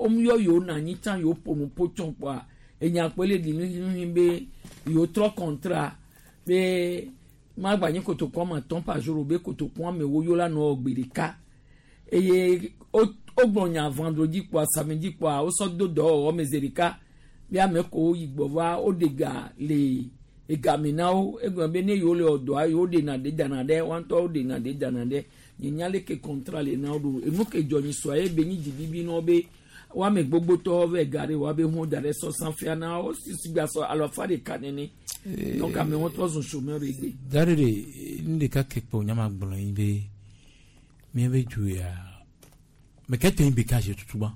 womuyɔ yewo na anyi tsã yewo ƒo nu ƒo tsɔ kpɔa enya kpe le ɖi nuhinuhi be yewo trɔ contrat be magba nyi kotoku ame atɔ̃ par jour o be kotoku ame ewo yewo la nɔ gbe ɖeka eye wo wogblɔ nya vendredi kpɔa samedi kpɔa wosɔ do dɔwɔwɔ me zi ɖeka be ame ko yi gbɔ va woɖe ga le egame na wo egblɔ be ne yewo le wɔ dɔa yewo ɖena ɖe dana ɖe woa ŋutɔ woɖena ɖe dana ɖe nye nya leke contrat le na wo ɖo enu ke dzɔ nyi sɔa ye be nyi dzibibi na wo be woame gbogbotɔwo vɛ ga ɖe woabe hu da ɖe sɔsã fia na wo sisi gba sɔ alo afa ɖeka nene donc ame wo trɔ zun chômeur egbe. Dare de nu ɖeka ke kpɔ nyama gblɔ yi be míabe du ya mɛ ke te yi BKG tutu ba.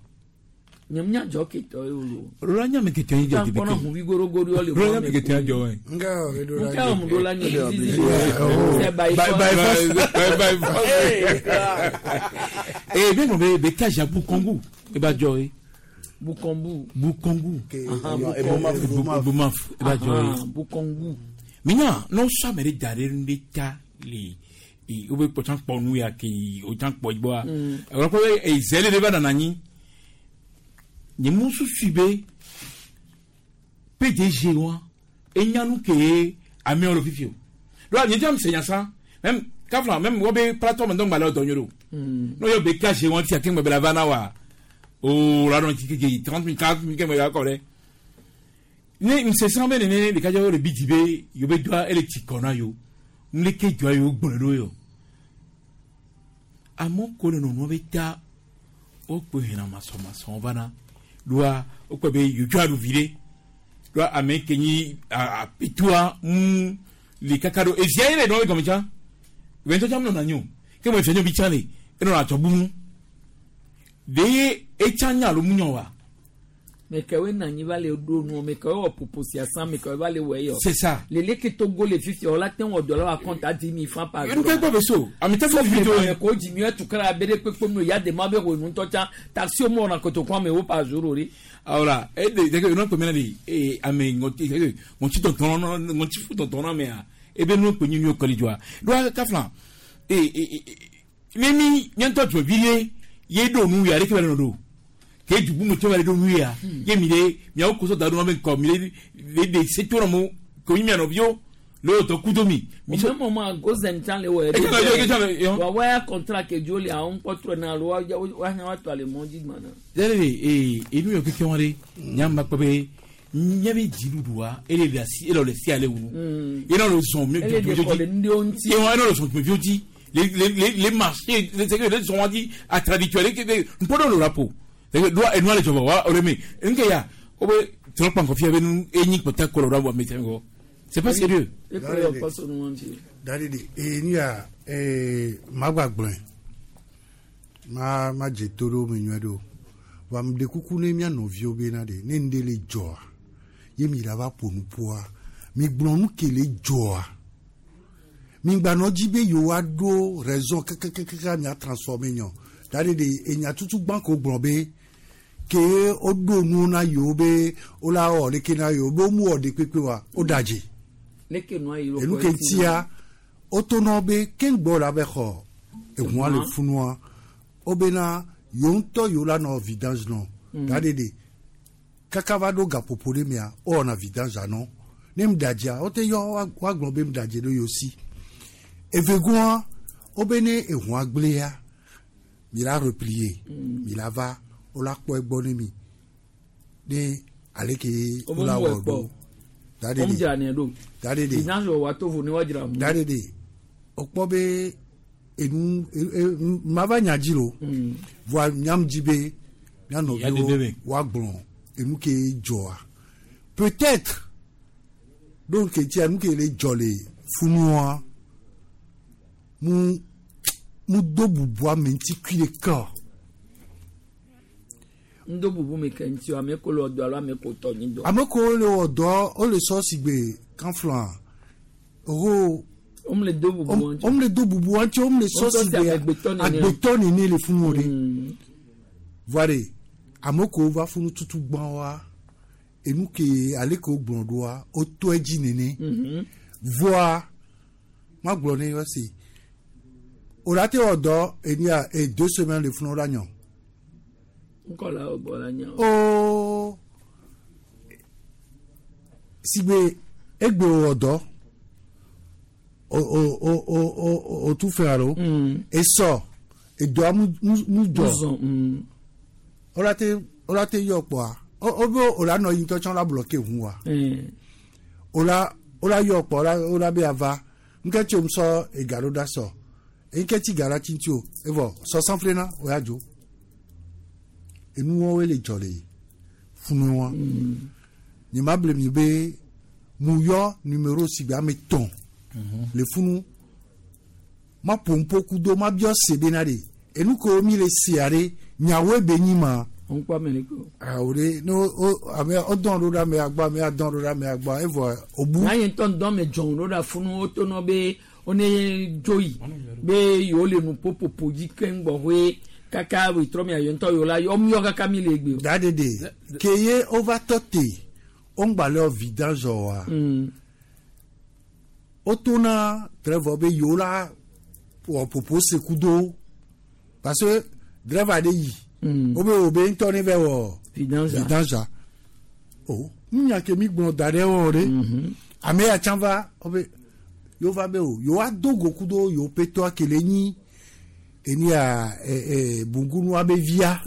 Nye nya dzɔ ke tɔ ye o lo. Rola nya me ke te yi jɔ di Kpɔnɔ hunvi gorogoro le Rola nya me ke te yi jɔ wɛ. Nga o edo la. Nka o do la nye zizi. C'est by By by force. force. By by force. Eh bien gblɔ be BKG Bukongu e ba jɔ ye. Bukongu. Bukongu. Bukongu. Ebomaf e ba jɔ ye. Bukongu. Minya n'o sɔ ame ɖe da ɖe nu ɖe ta le e wo be kpɔtsa kpɔ nu ya ke o tsã kpɔ gbɔa. Ewɔ kpɔ be eze ɖe va nana anyi. Nye mu susu be P D G wa enya nu ke amewo le fifi o. Lɔa nye tsã se nyasa même kafla même wo be plateforme dɔn gba le dɔ nyoro. N'o yɔ B K G wa fia ke ŋgbe la va na wa. O la dɔn kike trente mille quarante mille ke ŋgbe la kɔ dɛ. Ne nsesã be nene ɖeka dze wo le bi dzi be yewo be dɔa ele tsi kɔ na yewo. Ŋleke dɔa yewo gblɔe ɖo yɔ. Amewo ko le nɔnɔ be ta wokpe hena masɔmasɔ va na. Lɔa wokpe be yewo tsɔ aɖu vi ɖe. Lɔa ame ke nyi apetua ŋu le kaka ɖo evia ye le nɔ egɔme tsã. Wɛntɔ tsã menɔna anyi o. Ke me fia nyɔvi tsã le enɔna atsɔ bu ŋu. Ɖe etsã nya alo mu nyɔ wa. Me kewoe na anyi va le ɖo nu me kewoe wɔ popo sia sã me kewoe va le wɔ eyɔ. C'est ça. Lele ke Togo le fifi wɔ la te wɔ dɔ la wa compte adi mi fan par Enu ke gbɔ be so. Ame te fɔ vi to. Ame ko dzi mi etukara be ɖe kpekpe nu ya de ma be wɔ ŋutɔ tsã taxi wo mɔ na kotoku amewo par jour o ɖe. Ahora, e de de que no kpe mena de e ame ŋɔti ŋɔti tɔntɔn ŋɔti fu tɔntɔn na mea ebe nu kpe nyi nu kɔli dzɔa. Ɖoa kafla e e ne mi nye ŋutɔ dzɔ vi ɖe ye ɖo nu ya ɖeke va le nɔ ɖo. Ke dugu me tɔ va le ɖo nu ya ye mi ɖe miawo kosɔ da ɖo na be ŋkɔ mi ɖe le de se to na mo ko nyi mia nɔviwo le wo dɔ kudo mi. O mɛ mɔ ma gozen tsã le wɔ E tsã le e tsã le yɔ. Wa waya contrat ke dzo le àwọn kpɔtrɔ na alo wa wa hã wa tɔ ale mɔ dzi gbana. Yɛrɛ de ee enu yɔ keke wa de nyamba kpɔ be nye be dziɖuɖua ele le asi ele le si ale wunu. Ye na le zɔn mi Ele de kɔ le nu ɖewo ŋuti. Ye wa ye na le zɔn tumi dzi le le le le marché le c'est que le zɔn wa di atraditua le ke npɔ le rapo. C'est que doa enua le dzɔbɔ wa o le me nke ya o be trɔ kpankɔ fia be nu enyi kpɔta kɔlɔ ɖo ame tɛ kɔ. C'est pas sérieux. E kɔ yɔ kɔ so nu ŋuti. Dadi de ee nu ya ee magba gblɔe ma ma dze to ɖo me nyuie ɖo wa mi ɖe kuku ne mía nɔviwo bena ɖe ne ŋɖe le dzɔa ye mi ɖa va ƒo nu ƒoa mi gblɔ nu ke le dzɔa mi gbanɔ dzi be yewoa ɖo raison kakakaka mia transformer nyɔ dadi de enya tutu gbã ko gblɔ be Ke woɖo nu na yewo be wola wɔ ɖeke na yewo be womu wɔ ɖekpekpe wa woɖadze. Leke nua yi Enu ke ŋutia wotonɔ be keŋgbɔ la be xɔ ehua le funua wobena yewo ŋutɔ yewo la nɔ vidange nɔ Mm. da ɖeɖe kaka va ɖo gaƒoƒo ɖe mea wowɔna vidange anɔ ne ŋɖadzea wote yɔ woa- woagblɔ be ŋɖadze ɖo yewo si evegoa wobe ne ehua gblẽa mi la replier mi la va wola kpɔ egbɔ ne mi ne aleke Wobe wola mu wɔ ekpɔ. ɖo da Wɔm ɖeɖe dzra nɛ ɖo. da ɖeɖe Vidange wɔ wa to vo ne woadzra mu. da ɖeɖe wokpɔ be enu e- e- mava nya dzi lo voa nyam dzi be mía Ya dede nɔviwo me. woagblɔ enu ke dzɔa peut-être ɖo nu ke ŋutia nu ke le dzɔ le funua mu mu do bubu ame ŋuti kui ɖeka o. Ŋdo bubu mi ke ŋuti o ame ko le wɔ dɔ alo ame ko tɔ nyi dɔ. ame kewo le wɔ dɔ wole sɔ si gbe kanflɔa ho Wome le do bubu ŋuti. wome le do bubu ŋuti wome le sɔ Wotɔ si si gbe amegbetɔ nene. agbetɔ nene le funu o de voa de ame kewo va funu tutu gbã wa enu ke ale ke wogblɔ ɖoa wotɔ edzi nene Mhm. voa magblɔ ne yɔ se o la te wɔ dɔ enia e deux semaines le funu la nyɔ Ŋkɔ la wɔ gbɔ la nya. o sigbe egbe wɔ dɔ o o o o o o tu fɛ alo esɔ edɔa mu mu mu jɔ Mu zɔn, mm. o la te o la te yɔ kpɔa o o be o la nɔ yi ŋutɔ tsã o la bloqué ʋu wa Eh. o la o la yɔ kpɔ o la o la be ava ŋkɛ tso mu sɔ ega ɖo da sɔ ŋkɛ tsi ga la tsi ŋuti o evɔ sɔ sanfle na o ya dzo enuwɔwoe le dzɔ le funu wa nye ma ble mi be mu yɔ numéro si gbe ame tɔn le funu ma ƒo ŋpo kudo ma biɔ se bena de enu kewo mi le sea ɖe nyawoe be nyi ma Ŋkpɔ ame ɖe ko. awo ɖe ne wo wo ame wodɔn ɖo ɖe amea gbɔ amea dɔn ɖo ɖe amea gbɔ evɔ obu Na ye ŋutɔ ŋdɔ me dzɔn ɖo ɖa funu wotonɔ be wone dzo yi be yewo le nu ƒoƒoƒo dzi keŋ gbɔxɔe kaka wetrɔ mia ye ŋutɔ yewo la yɔ míɔ kaka mi le egbe o. da ɖeɖe ke ye wova tɔ te woŋgba le vidange wa wotona drɛvɔ be yewo la wɔ ƒoƒo se kudo parce que drɛva ɖe yi wobe wo be ŋutɔ ne vɛ wɔ Vidange. vidange o nunya ke mi gblɔ da ɖe wɔ ɖe ame ya tsã va wobe yewo va be o yewoa do go kudo yewo ƒetɔa ke le nyi enia ɛ ɛ bungunua be via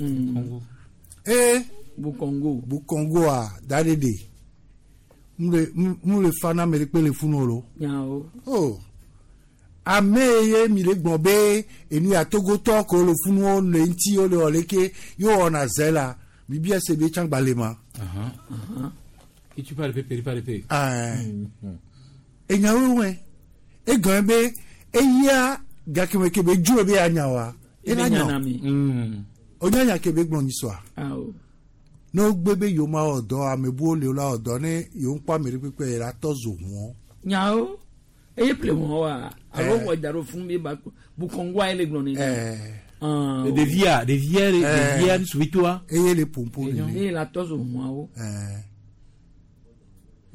ee Bukongo Bukongoa da ɖe ɖe mu le mu le fa na ame ɖe kpe le funu o lo Nyawo. o ame ye mi le gblɔ be enu ya togotɔ ko le funu le ŋuti wo le wɔ leke ye wɔna zɛ la bibi se be tsã gba le ma. Et tu parles pe, parles pe. Enyawo wɛ egɔn be eya gakeme ke be dzo be anya wa Ebe ela nya na nyɔ mi. onyanya ke be gblɔ nyisɔa Awo. ne wogbe be yewo ma wɔ dɔ ame buwo le wo la wɔ dɔ ne yewo ŋkpɔ ame ɖe kpekpe yi la tɔ zo ʋuɔ. Nyawo. Eye ple wɔn wa. Alo Eh. wɔ da ɖo funu be ba Bukongoa ye le gblɔ nene. Ah, Ɖevia, ɖevia, ɖevia, suvitoa. Eye le pompo nene. Eye la tɔ zo ʋuawo.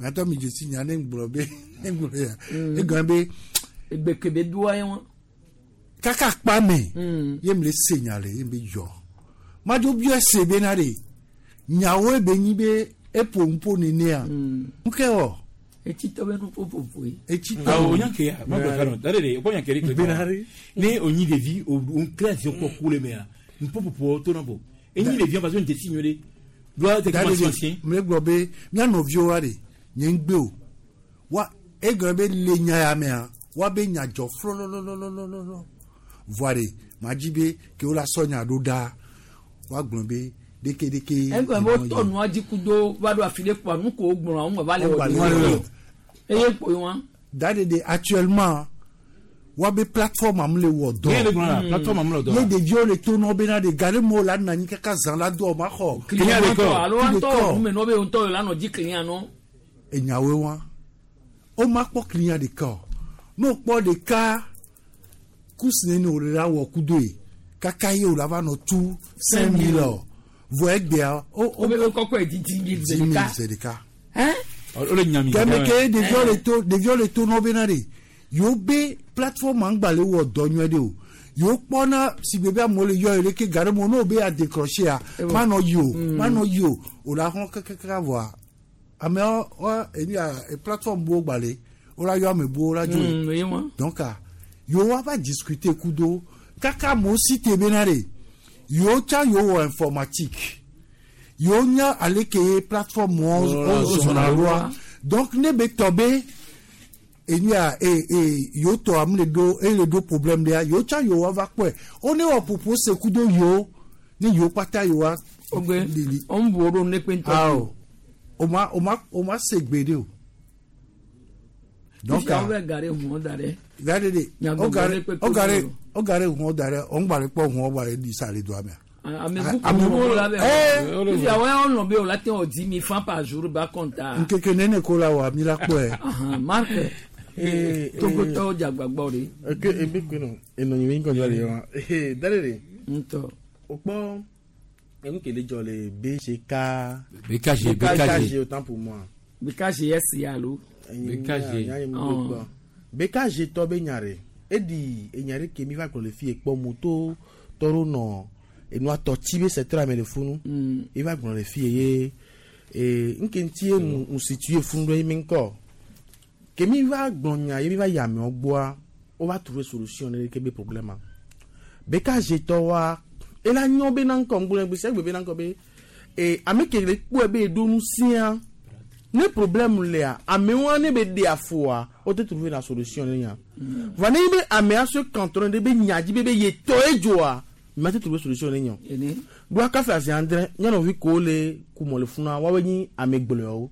Mɛtɔ mi dzesi nya ne ŋgblɔ be ne ŋgblɔ ya egɔn be. Egbe ke be doa ye wɔn. Kaka kpa me ye mi le se nya le ye mi be yɔ madzo biɔ se be na de nyawo be nyi be eƒo ŋpo nenea ŋkɛ wɔ. Etsi tɔ be nu ƒoƒoƒo ye. Etsi Ah, o nya ke ya, ma gblɔ fɛn dɔ. Da de de, o kɔ nya ke de kle. Benare. Ne o nyi ɖevi, o o kle asi kɔ ku le mea, ŋpopopo to na bo. Enyi ɖevi parce que n tɛ si nyuie ɖe. Doa tɛ Da kuma de si ancien. de mi le gblɔ be mía nɔviwo wa de nye ŋgbe o wa egɔn be le nya ya mea wa be nya dzɔ flɔlɔlɔlɔlɔlɔ voa de ma dzi be ke wo la sɔ nya ɖo ɖa wa gblɔ be ɖekeɖeke. Egɔn be wotɔ nua dzi kudo va ɖo afi ɖe kpoa nu ko wogblɔ wo ŋgɔ va le Wo wɔ gba le ɖe. wɔ. Eye kpo ye wɔn. Da de de actuellement wa be plateforme am le wɔ dɔ. Ye le gblɔ la, plateforme am le wɔ dɔ. Ye ɖeviwo le to nɔ bena de ga ɖe mo la nɔ anyi kaka zã la do ma xɔ. Client ŋutɔ alo Client ŋutɔ kɔ. nume nɔ be ŋutɔ la nɔ dzi client nɔ. Enyawoe wa o ma kpɔ client ɖeka o ne o kpɔ ɖeka kusi nene o le la wɔ kudo ye kaka ye o la va nɔ tu cinq mille o Vɔ egbea o o bɛ kɔkɔ di dix mille dix mille zedeka. O le nya mi. Kɛmɛ ke ɖeviwo le to ɖeviwo le to nɔ bena de yewo be plateforme ŋgba le wɔ dɔ nyuie de o yewo kpɔna si be be amewo le yɔ yi leke gari mo n'o be a décrocher a ma nɔ yi o ma nɔ yi o o la hɔn kɛkɛkɛ vɔa amewo wa enu ya plateforme buwo gba le o la yɔ ame buwo la dzo ye donc yewo wa va discuter kudo kaka amewo si te bena de yewo tsa yewo wɔ informatique yewo nya ale ke plateforme wo zɔna ɖoa donc ne be tɔ be enu ya e e yewo tɔ ame le ɖo ele ɖo problème ɖea yewo tsa yewo va kpɔe wo ne wɔ propose kudo yewo ne yewo kpata yewoa. Ogbe o ń bu oɖo ne kpe ŋutɔ. Awo o ma o ma o ma se gbe de o. Donc awo bɛ gari huɔ da dɛ. Gari de o gari o gari o gari huɔ da dɛ o ń gbalẽ kpɔ huɔ gbalẽ di sa le do amea. Ame buku la bɛ fi awɔ yɛ ɔnɔ be o la te o dix mille francs par jour ba kɔnta. Nkeke nene ko la wa mi la kpɔe. Marc Togotɔwo dze agbagba de. Eke ebe kpe nɔ enɔ nyi mi ŋkɔ le wa dale de. Ŋutɔ. O kpɔ enu ke le dzɔ le B G K. B K G B K G autant pour moi. B K G S alo. B K G. B K G tɔ be nya re edi enya ɖe ke mi va gblɔ le fi ekpɔ moto tɔɖo nɔ enua tɔ tsi be secteur ame le funu e va gblɔ le fi ye ee nke ŋuti ye nu ŋusitue funu ɖe mi ŋkɔ ke mi va gblɔ nya ye mi va yi amewo gbɔa wo va trouver solution ne ke be problème ma B K G tɔ wa ela nyɔ be na ŋkɔ ŋgblɔ gbe sia gbe be na ŋkɔ be ee ame ke le kpɔe be eɖo nu sia ne problème lea amewo ne be ɖe afoa wo te trouver la solution ne nya va ne be amea se cantonné de be nya dzi be be ye tɔ edzoa ma te trouver solution ne nya ɖoa kafe azi andre nyɔnuvi ko le kumɔ le funa woawoe nyi ame gblɔewo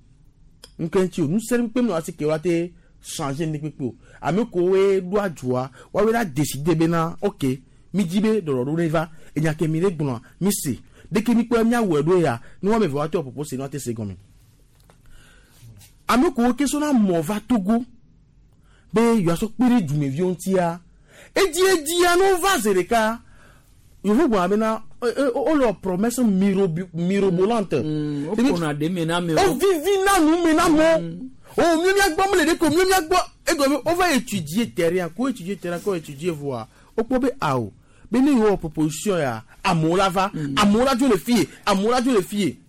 nke ŋuti o nusẽ kpem na asi ke woa te changer ne kpekpe o ame kowoe ɖoa dzoa woawoe la décider bena ok mi dzi be ɖɔɖɔɖo ne va enya ke mi le gblɔa mi se deke mi kpɔ miawɔe ɖo ya ne woame eve woate wɔ propose ne woate se gɔme ame kowo ke sɔna mɔ va Togo be yewoasɔ kpe ɖe dumeviwo ŋutia edzi edzia ne wova zi ɖeka yevu gbɔna bena wole promesse mirobolante o ƒona ɖe me na amewo o vivina nu me na amewo o mi miagbɔ mele ɖe ko mi miagbɔ egɔme wova étudier terrain ko étudier terrain ko étudier voa wokpɔ be awo be ne yewo wɔ proposition ya amewo la va amewo la dzo le fie amewo la dzo le fie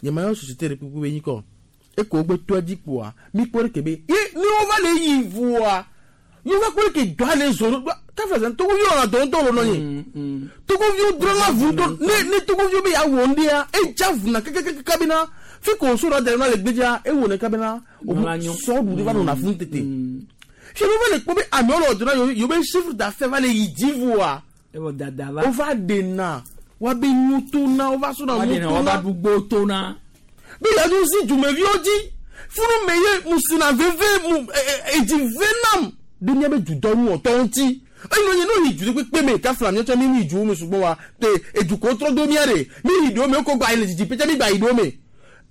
nyemayɔ société ɖe kpekpe be nyi kɔ eko wogbe tɔ dzi kpoa mi kpɔ ɖe ke be ye ne wova le yi voa yewo va kpɔ ɖe ke dɔa le zɔ ɖo kafe zan togoviwo wɔna dɔ ŋutɔ le nɔ nyi togoviwo drɔna vu ŋutɔ ne ne togoviwo be yeawɔ ŋɖia edza vuna kekekeke bena fi ko so ɖe da ɖe na le gbedzia ewɔ ne kabena sɔ ɖu ɖe va nɔna funu tete fi wova le kpɔ be amewo le ɔdɔ na yewo yewo be chiffre d'affaires va le yi dzi voa wova ɖena woabe nutona wova sɔna nutona be yeadzo si dumeviwo dzi funu me ye musina veve mu edzi venam ɖe miabe dudɔnuwɔtɔ ŋuti eyi nɔ nye ne yi du kpekpe me kafla miatsɔ mi yi duwo me sugbɔ wa te edukɔ trɔ do mia ɖe mi yi ɖewo me wokɔ gba yi le dzidzi pɛtɛ mi gba yi ɖewo me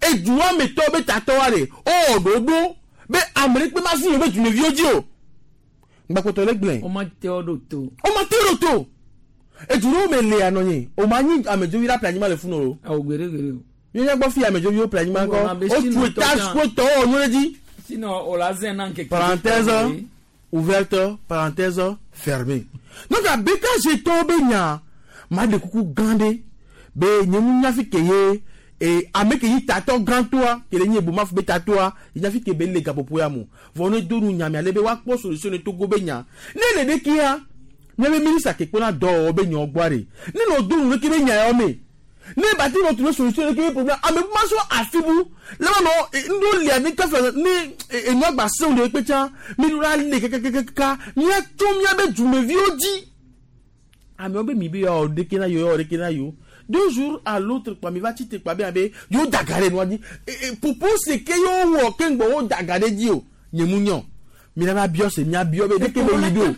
eduwa me tɔ be tatɔwa ɖe ewɔ ɖoɖo be ame ɖe kpe ma zi yewo be dumeviwo dzi o gbakpɔtɔ le gblẽ. O ma te wo ɖo to. O ma te wo ɖo to edu ɖewo me lea nɔ nye o ma nyi amedzovi la ƒle anyigba le funu o. Awo gbeɖe gbeɖe o. Mianya gbɔ fi amedzoviwo ƒle anyigba kɔ o tu étage ko tɔwo wɔ nu ɖe dzi. Sinon o la zɛn na nkeke. Parenthèse ouverte parenthèse fermée. Donc a B K G tɔwo be nya ma ɖe kuku gã ɖe be nye mu nya fi ke ye e ame ke yi tatɔ gãtɔa ke le nye ebomafo be tatɔa yi nya fi ke be le gaƒoƒo ya mo vɔ ne do nu nyame ale be woakpɔ solution ne Togo be nya ne le ɖekia miabe ministre ke kpɔna dɔwɔwɔ be nyawo gbɔa ɖe ne nɔ do nu ɖeke be nya yawo me ne bati nɔ trouver solution ɖeke be problème ame ma sɔ afibu le ma nɔ ŋɖo lia ne kafe ne enua gba sewu ɖe kpe tsã mi ɖo la le kakakaka miatso miabe dumeviwo dzi amewo be mi be yawo ɖeke na yewo yawo ɖeke na yewo deux jours à l'autre kpa mi va tsi te kpa be abe yewo da ga ɖe nua dzi propose ke yewo wɔ ke ŋgbɔ wo da ga ɖe dzi o nye mu nyɔ mi la va biɔ se mia biɔ be ɖeke be yi do ne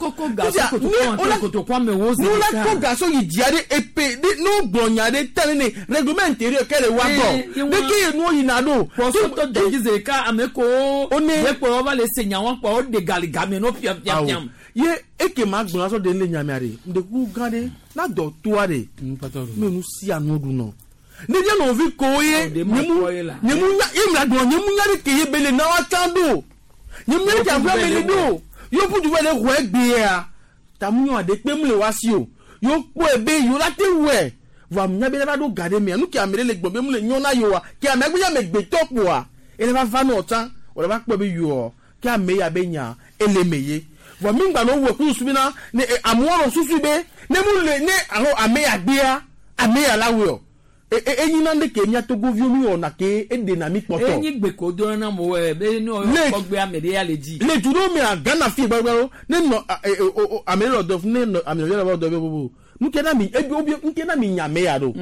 wo la kɔ gaso yi dzia ɖe epe ɖe ne wo gblɔ nya ɖe ta ne ne règlement intérieur ke le wa gbɔ ɖeke ye nuwo yina ɖo. Pɔsɔtɔ dɛdzi ze ɖeka ame kowo ne kplɔ wo va le se nyawo kpɔ wo de gali game no piam piam piam. Ye eke ma gblɔ asɔ de ne le nyamea ɖe ŋdekuku gã ɖe na dɔ toa ɖe me nu sia nu ɖu nɔ Ne mia nɔvi ko ye nyemu nyemu nya ye mia gblɔ nyemu nya ɖe ke ye be le na wa tsã ɖo. Nyemu nya ɖe ke aƒea me le ɖo. Yo ƒu du va le xɔe gbea. Ta mu nyɔ aɖe kpe mu le wa si o. Yo kpɔe be yo la te wɔe. Vɔa nya be ne va ɖo ga ɖe mea nu ke ame ɖe le gblɔm be mu le nyɔ na yewoa ke amea gbe nye amegbetɔ kpoa ele va va nɔ tsã wòle va kpɔe be yewoa ke ame ya be nya ele me ye. Vɔa mi ŋgba nɔ wɔ kusu bena ne amewo nɔ susu be ne mu le ne alo ame ya gbea ame ya la wɔe o. Enyi na ɖe ke mía Togoviwo mi wɔna ke eɖena mi kpɔtɔ. Enyi gbe ko do na mo wɛ be ne wɔ kpɔ ame ɖe ya le dzi. Le du ɖewo mea Ghana fi gbagbawo ne nɔ ame ɖe le dɔ ne nɔ ame ɖe le dɔ be bobo. Nke na mi ebi obi nke na mi nya me ya ɖo.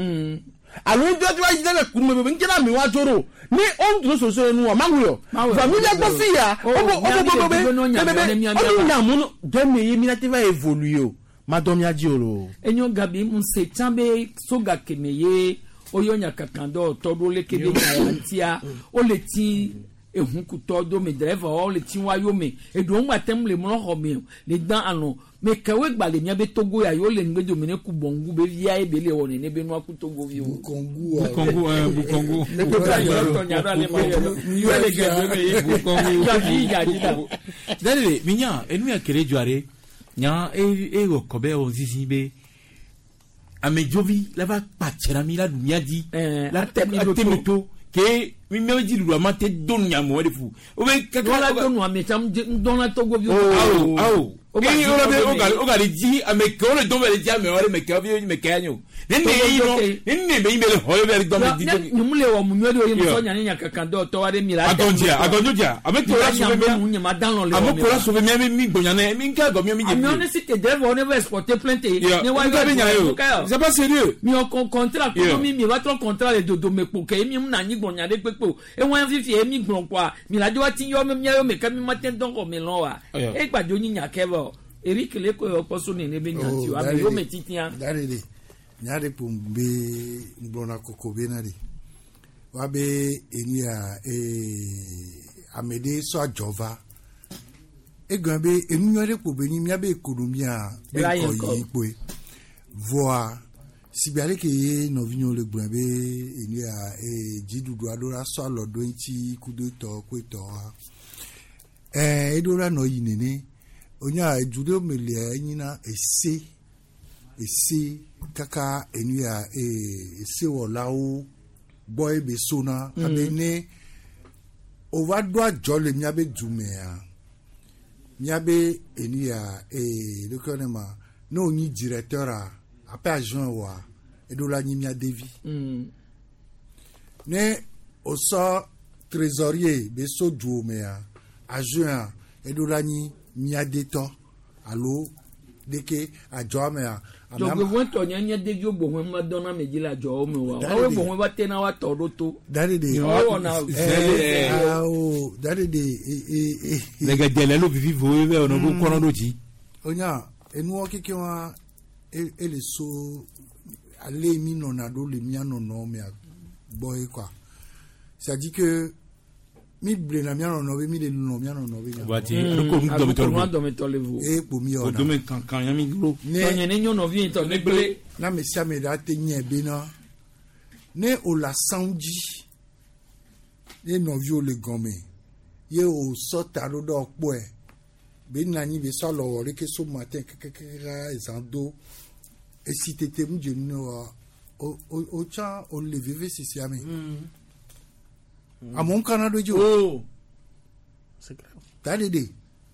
Alo ŋutɔ ti wa yi ɖe le kunu me be nke na mi wa dzo ɖo. Ne o ŋutɔ soso nu wa mawu yɔ. Vɔ mi ɖe gbɔ fi ya o bo o bo bo be be be o mi nya mu no de me ye mi na te va évoluer o. Ma dɔn mia dzi o lo. Enyo Gabi mu se tsã be soga keme ye oyɔ nyakakan dɔ tɔ ɖo leke be nya ya ŋutia wole ti ehukutɔ do me driver wo le ti wa yome eɖewo ŋgba tem le mlɔ xɔ me le dan alɔ me kewoe gba le mía be Togo ya yewo le ŋgbe dome ne ku bɔngu be via ye be le wɔ nene be nua ku Togo viwo. Bukongu Bukongu ɛɛ Bukongu. Bukongu. Dale mi nya enu ya kele dzɔa nya e e wɔ kɔbɛ wɔ zizi be amedzovi la va kpatsɛ na mi la ɖu mía dzi la tɛmi to ke mi mía dzi ɖuɖu ama te do nu nyamɔ de fu. O bɛ kaka wala do nu ame tsam ŋdɔna Togo viwo. Awo awo eye o la bɛ o ka o ka le dzi ame kewo le dɔn bɛ le dzi ame wɛrɛ mɛ kewo bi mɛ kɛ yanyo ne ne yi nɔ ne ne bɛ yi bɛ le xɔ ye bɛ le dɔn bɛ di. Nyɔnu le wɔ mu nyuie ɖe o ye musɔ nya ne nya kankan dɔ tɔ wa ɖe mi la. Agɔndzia agɔndzia ame to la sauver mia ame ko la sauver mia mi gbɔnya ne mi ka gɔ mia mi dze. Amewo ne si te driver ne va exporter plainte. Ne wa yɔ c'est pas sérieux. Mi wɔ contrat kɔnɔ mi mi va trɔ contrat le dodome kpo ke mi na anyi gbɔnya ɖe kpekpe o ewɔn fifi ye mi gblɔ kɔa mi la dzo wa ti yɔ mi mia yɔ mi ke mi ma te dɔn xɔ mi lɔn wa e gbadzo nyi nya kɛ vɔ Eric le ko yɔ kpɔ so nene be nya ti o ame yɔ me titia. Dari de nya de kpo be gblɔna koko be na de wa be enu ya ee ame ɖe sɔ adzɔ va egɔme be enu nyɔ ɖe kpo be nyi mía be ekonomia be ŋkɔ yi kpoe vɔa sigbe ale ke ye nɔvinyewo le gblɔe be enu ya ee dziɖuɖu aɖewo la sɔ alɔ ɖo eŋuti kudo etɔ ko etɔa ɛɛ eɖo la nɔ yi nene onya edu ɖewo me lia enyina ese ese kaka enu ya ee esewɔlawo gbɔ ye be sona abe ne o va ɖo adzɔ le míabe dumea míabe enu ya ee ɖeke ne ma ne o nyi directeur a ape agent wa eɖo la nyi mía devi ne o sɔ trésorier be so duo mea agent a eɖo la nyi mía detɔ alo deke adzɔa mea. Dzɔgbevɔ̃tɔ nye nye deviwo bohun ma dɔn na me dzi le adzɔwo me wa woawoe bohun va tena wa tɔ ɖo to. Dari de wɔna awo dari de ee ee. Lɛgɛdɛ lɛ ló vivi vo ye bɛ ɔnà kó kɔnɔ ɖo dzi. Onya enuwɔ keke wa ele so ale mi nɔna ɖo le mía nɔnɔ mea gbɔ ye quoi c'est à dire que mi blena mía nɔnɔ be mi le nɔ mía nɔnɔ be nya. Waati ko nu dɔmɛtɔ le vo. E kpo mi yɔ na. O dome kankan yan mi dúró. Tɔnyɛ ne nyɔnɔvi yi tɔ ne gblẽ. Na ame sia ame ɖe ate nye bena ne o le asaŋu dzi ye nɔviwo le gɔme ye o sɔ ta ɖo ɖe kpɔe be na anyi be sɔ alɔ wɔ ɖeke so matin kekekeke ezã do esi tete mu dze nu ne wa o o o tsã o le veve sisia me. Amewo kana ɖo dzi o. Ta ɖe ɖe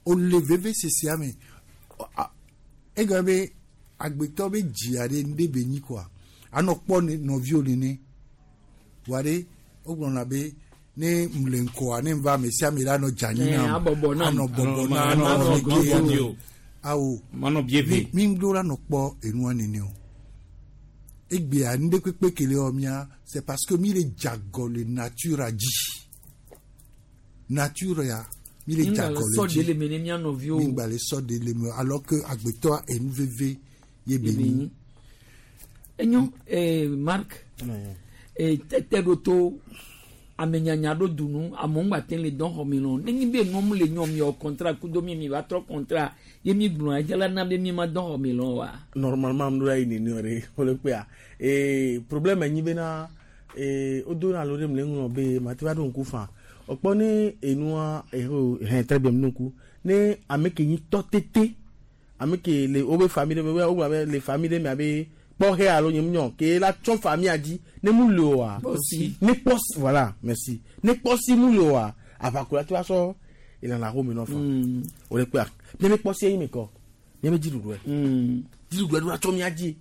o le veve sisia me egɔme be agbetɔ be dzia ɖe ŋɖe be nyi koa anɔ kpɔ nɔviwo nene wa ɖe wogblɔna be ne mle ŋkɔa ne va ame sia ame la nɔ dze anyi nam anɔ bɔbɔ na anɔ neke awo mi ŋɖo la nɔ kpɔ enua nene o egbea ŋɖe kpekpe kele wɔ mia c'est parce que mi le dzagɔ le nature dzi nature ya mi le dzagɔ le dzi mi ŋgba le sɔ de le me alors que agbetɔa enu veve ye be nyi. Enyo ee Marc ee tɛtɛ ɖo to ame nyanya ɖo dunu amewo ŋgba te le dɔn xɔme lɔ ne nyi be nuwo le nyɔ mi wɔ contrat kudo mi mi va trɔ contrat ye mi gblɔ edze la na be mi ma dɔn xɔme lɔ wa. Normalement am ɖo la yi nene ɖe wole kpea ee problème nyi bena Ee o do na lo ɖe mle ŋlɔ be mate va ɖo ŋku fa. Okpɔ ne enua eho hɛn très bien ɖo ŋku. Ne ame ke nyi tɔ tete ame ke le wobe famille ɖe me wo gblɔ be le famille ɖe me abe kpɔxe alo nye nyɔ ke la tsɔ famille dzi ne mu le oa. Kpɔsi. Ne kpɔsi voilà merci. Ne kpɔsi mu le oa aʋako la te va sɔ elã xome nɔ fa. O le kpea miabe kpɔsi eyi me kɔ miabe dziɖuɖue. Dziɖuɖue ɖo atsɔ mia dzi.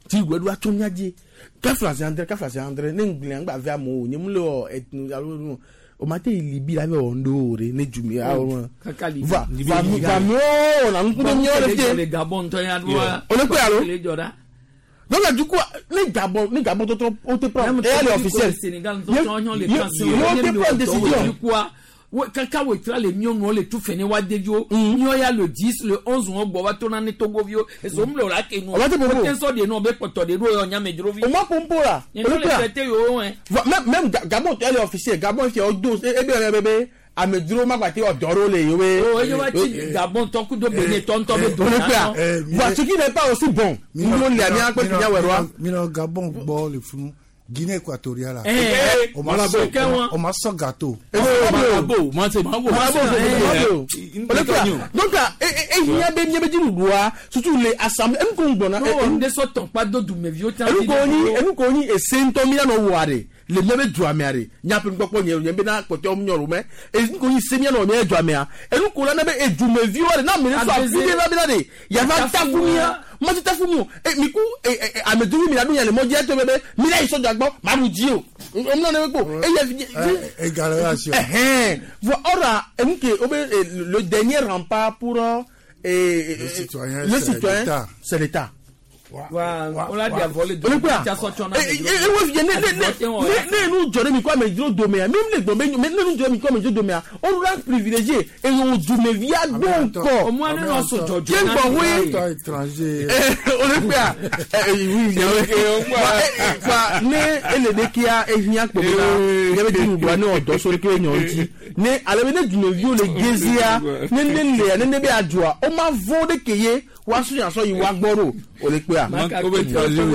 Dziɖuɖue ɖo atsɔ mia dzi. Kafla se andre kafla se andre ne ŋgblẽ ŋgba ve amewo nye mu le wɔ etnu alo nu o ma te yi libi la be wɔ ŋɖo ɖe ne du mi awo Kaka Libi. va va mi va mi wo na ŋku ɖe miawo le fie. Le Gabon ŋutɔ ya ɖoa. O le kpe alo. Le dzɔ ɖa. Donc du coup ne Gabon ne Gabon tɔtɔ o te prend et elle est officielle. Sénégal Ye- ŋutɔ nyɔ le ye- kan ye o te prend décision. Quoi kaka wo tra le miɔ le tu fene wa deviwo miɔ ya le dix le onze wɔn gbɔ wa to na ne togoviwo eso mu le o la ke nu O ma te popo. o te sɔ de nɔ be kpɔtɔ de ɖo yɔ nyamedzrovi. O ma pompo la. Nye O le le kpea. traité yewo wɛ. Va- Même même Ga- Gabon elle est officielle Gabon fia o do e be be be amedzro ma gba te wɔ dɔ ɖo le yewoe. O eye wa ti Gabon tɔ kudo Benin tɔ ŋutɔ be do O le na kpea. nɔ. Voilà ce qui n'est pas aussi bon. Nous le amia kpe finya wɛ ɖoa. Minɔ Gabon gbɔ le funu Guinée équatoriale. Eh, eh, On m'a Malabo. sɔ on m'a sɔ gâteau. Malabo, ma se Malabo. Malabo. O le kpea. Donc e e hiã be mía be dziɖuɖua surtout le assemblée enu ko ŋgbɔna. No ŋde sɔ tɔnkpa do dumeviwo tsã. enu ko nyi enu ko nyi ese ŋutɔ mi anɔ wɔa de le mía be dua mea de nyaƒe nukpɔkpɔ nye nye bena kpɔtɔewo nyɔ ɖo mɛ enu ko nyi se mía nɔ mía dua mea enu ko la ne be edumeviwo de na ame ɖe sɔ afi ɖe la bena de yava tafu mía mɔti tafu mi o e mi ku e e amedzrovi mi la ɖo nya le mɔdzi eto be be mi la yi sɔdza gbɔ ma ɖu dzi o omlɔ ne be kpo eye Égalisation. ɛhɛn voa ɔra enu ke o be eh, le dernier rempart pour euh, eh, Le citoyen, le c'est citoyen l'État. c'est l'État. Wa o la di avɔ le O le kpea tsa sɔ tsɔ na e e e wo fie ne ne ne ne ne nu dzɔ ɖe mi ko amedzro domea mi le gbɔn be ne nu dzɔ ɖe mi ko amedzro domea o la privilégié eye o dumevia do ŋkɔ. O mu ane nɔ so dzɔdzɔ Ye gbɔn woe. Toi étranger. O le kpea ɛ ɛ oui fa ne ele de kia ehiã kpo bena ne be dziɖuɖua ne wɔ dɔ so ɖe ke nyɔ ŋuti ne ale be ne dumeviwo le gezia ne ne lea ne ne be adzɔa o ma vɔ ɖe ke ye woasu nyasɔ yi woagbɔ ɖo o le kpea. Maka tɔ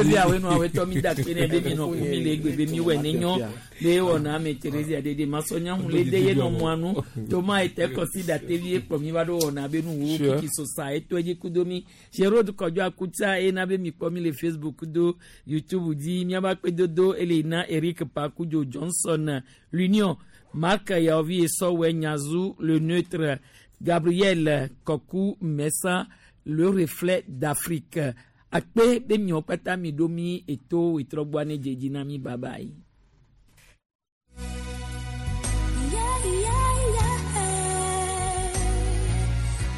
be awe nu awe tɔ mi da kpe ne be mi nɔ ku mi le egbe be mi wɛ ne nyɔ be wɔna ame Thérésia dede masɔnya hun le de ye nɔ mɔa nu toma ete kɔsi da tevi ekplɔ mi va ɖo wɔna be nu wo Sure. kiki sosa eto edzi kudo mi Gérald Kɔdjo Akutsa ena be mi kpɔ mi le Facebook kudo YouTube dzi miaba kpedodo ele na Eric Pakudzo Johnson l'Union Marc Yaovi Esɔwɛ Nyazu le neutre Gabriel Koku Messa le reflet d'Afrique akpe be miawo kpata mi ɖo mi eto wetrɔgbɔa ne dze dzi na mi bye bye. Yeah, yeah, yeah.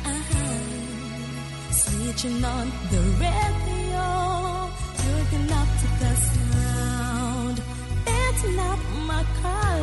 Uh-huh. Switching on the radio, looking up to the sound, dancing up my car.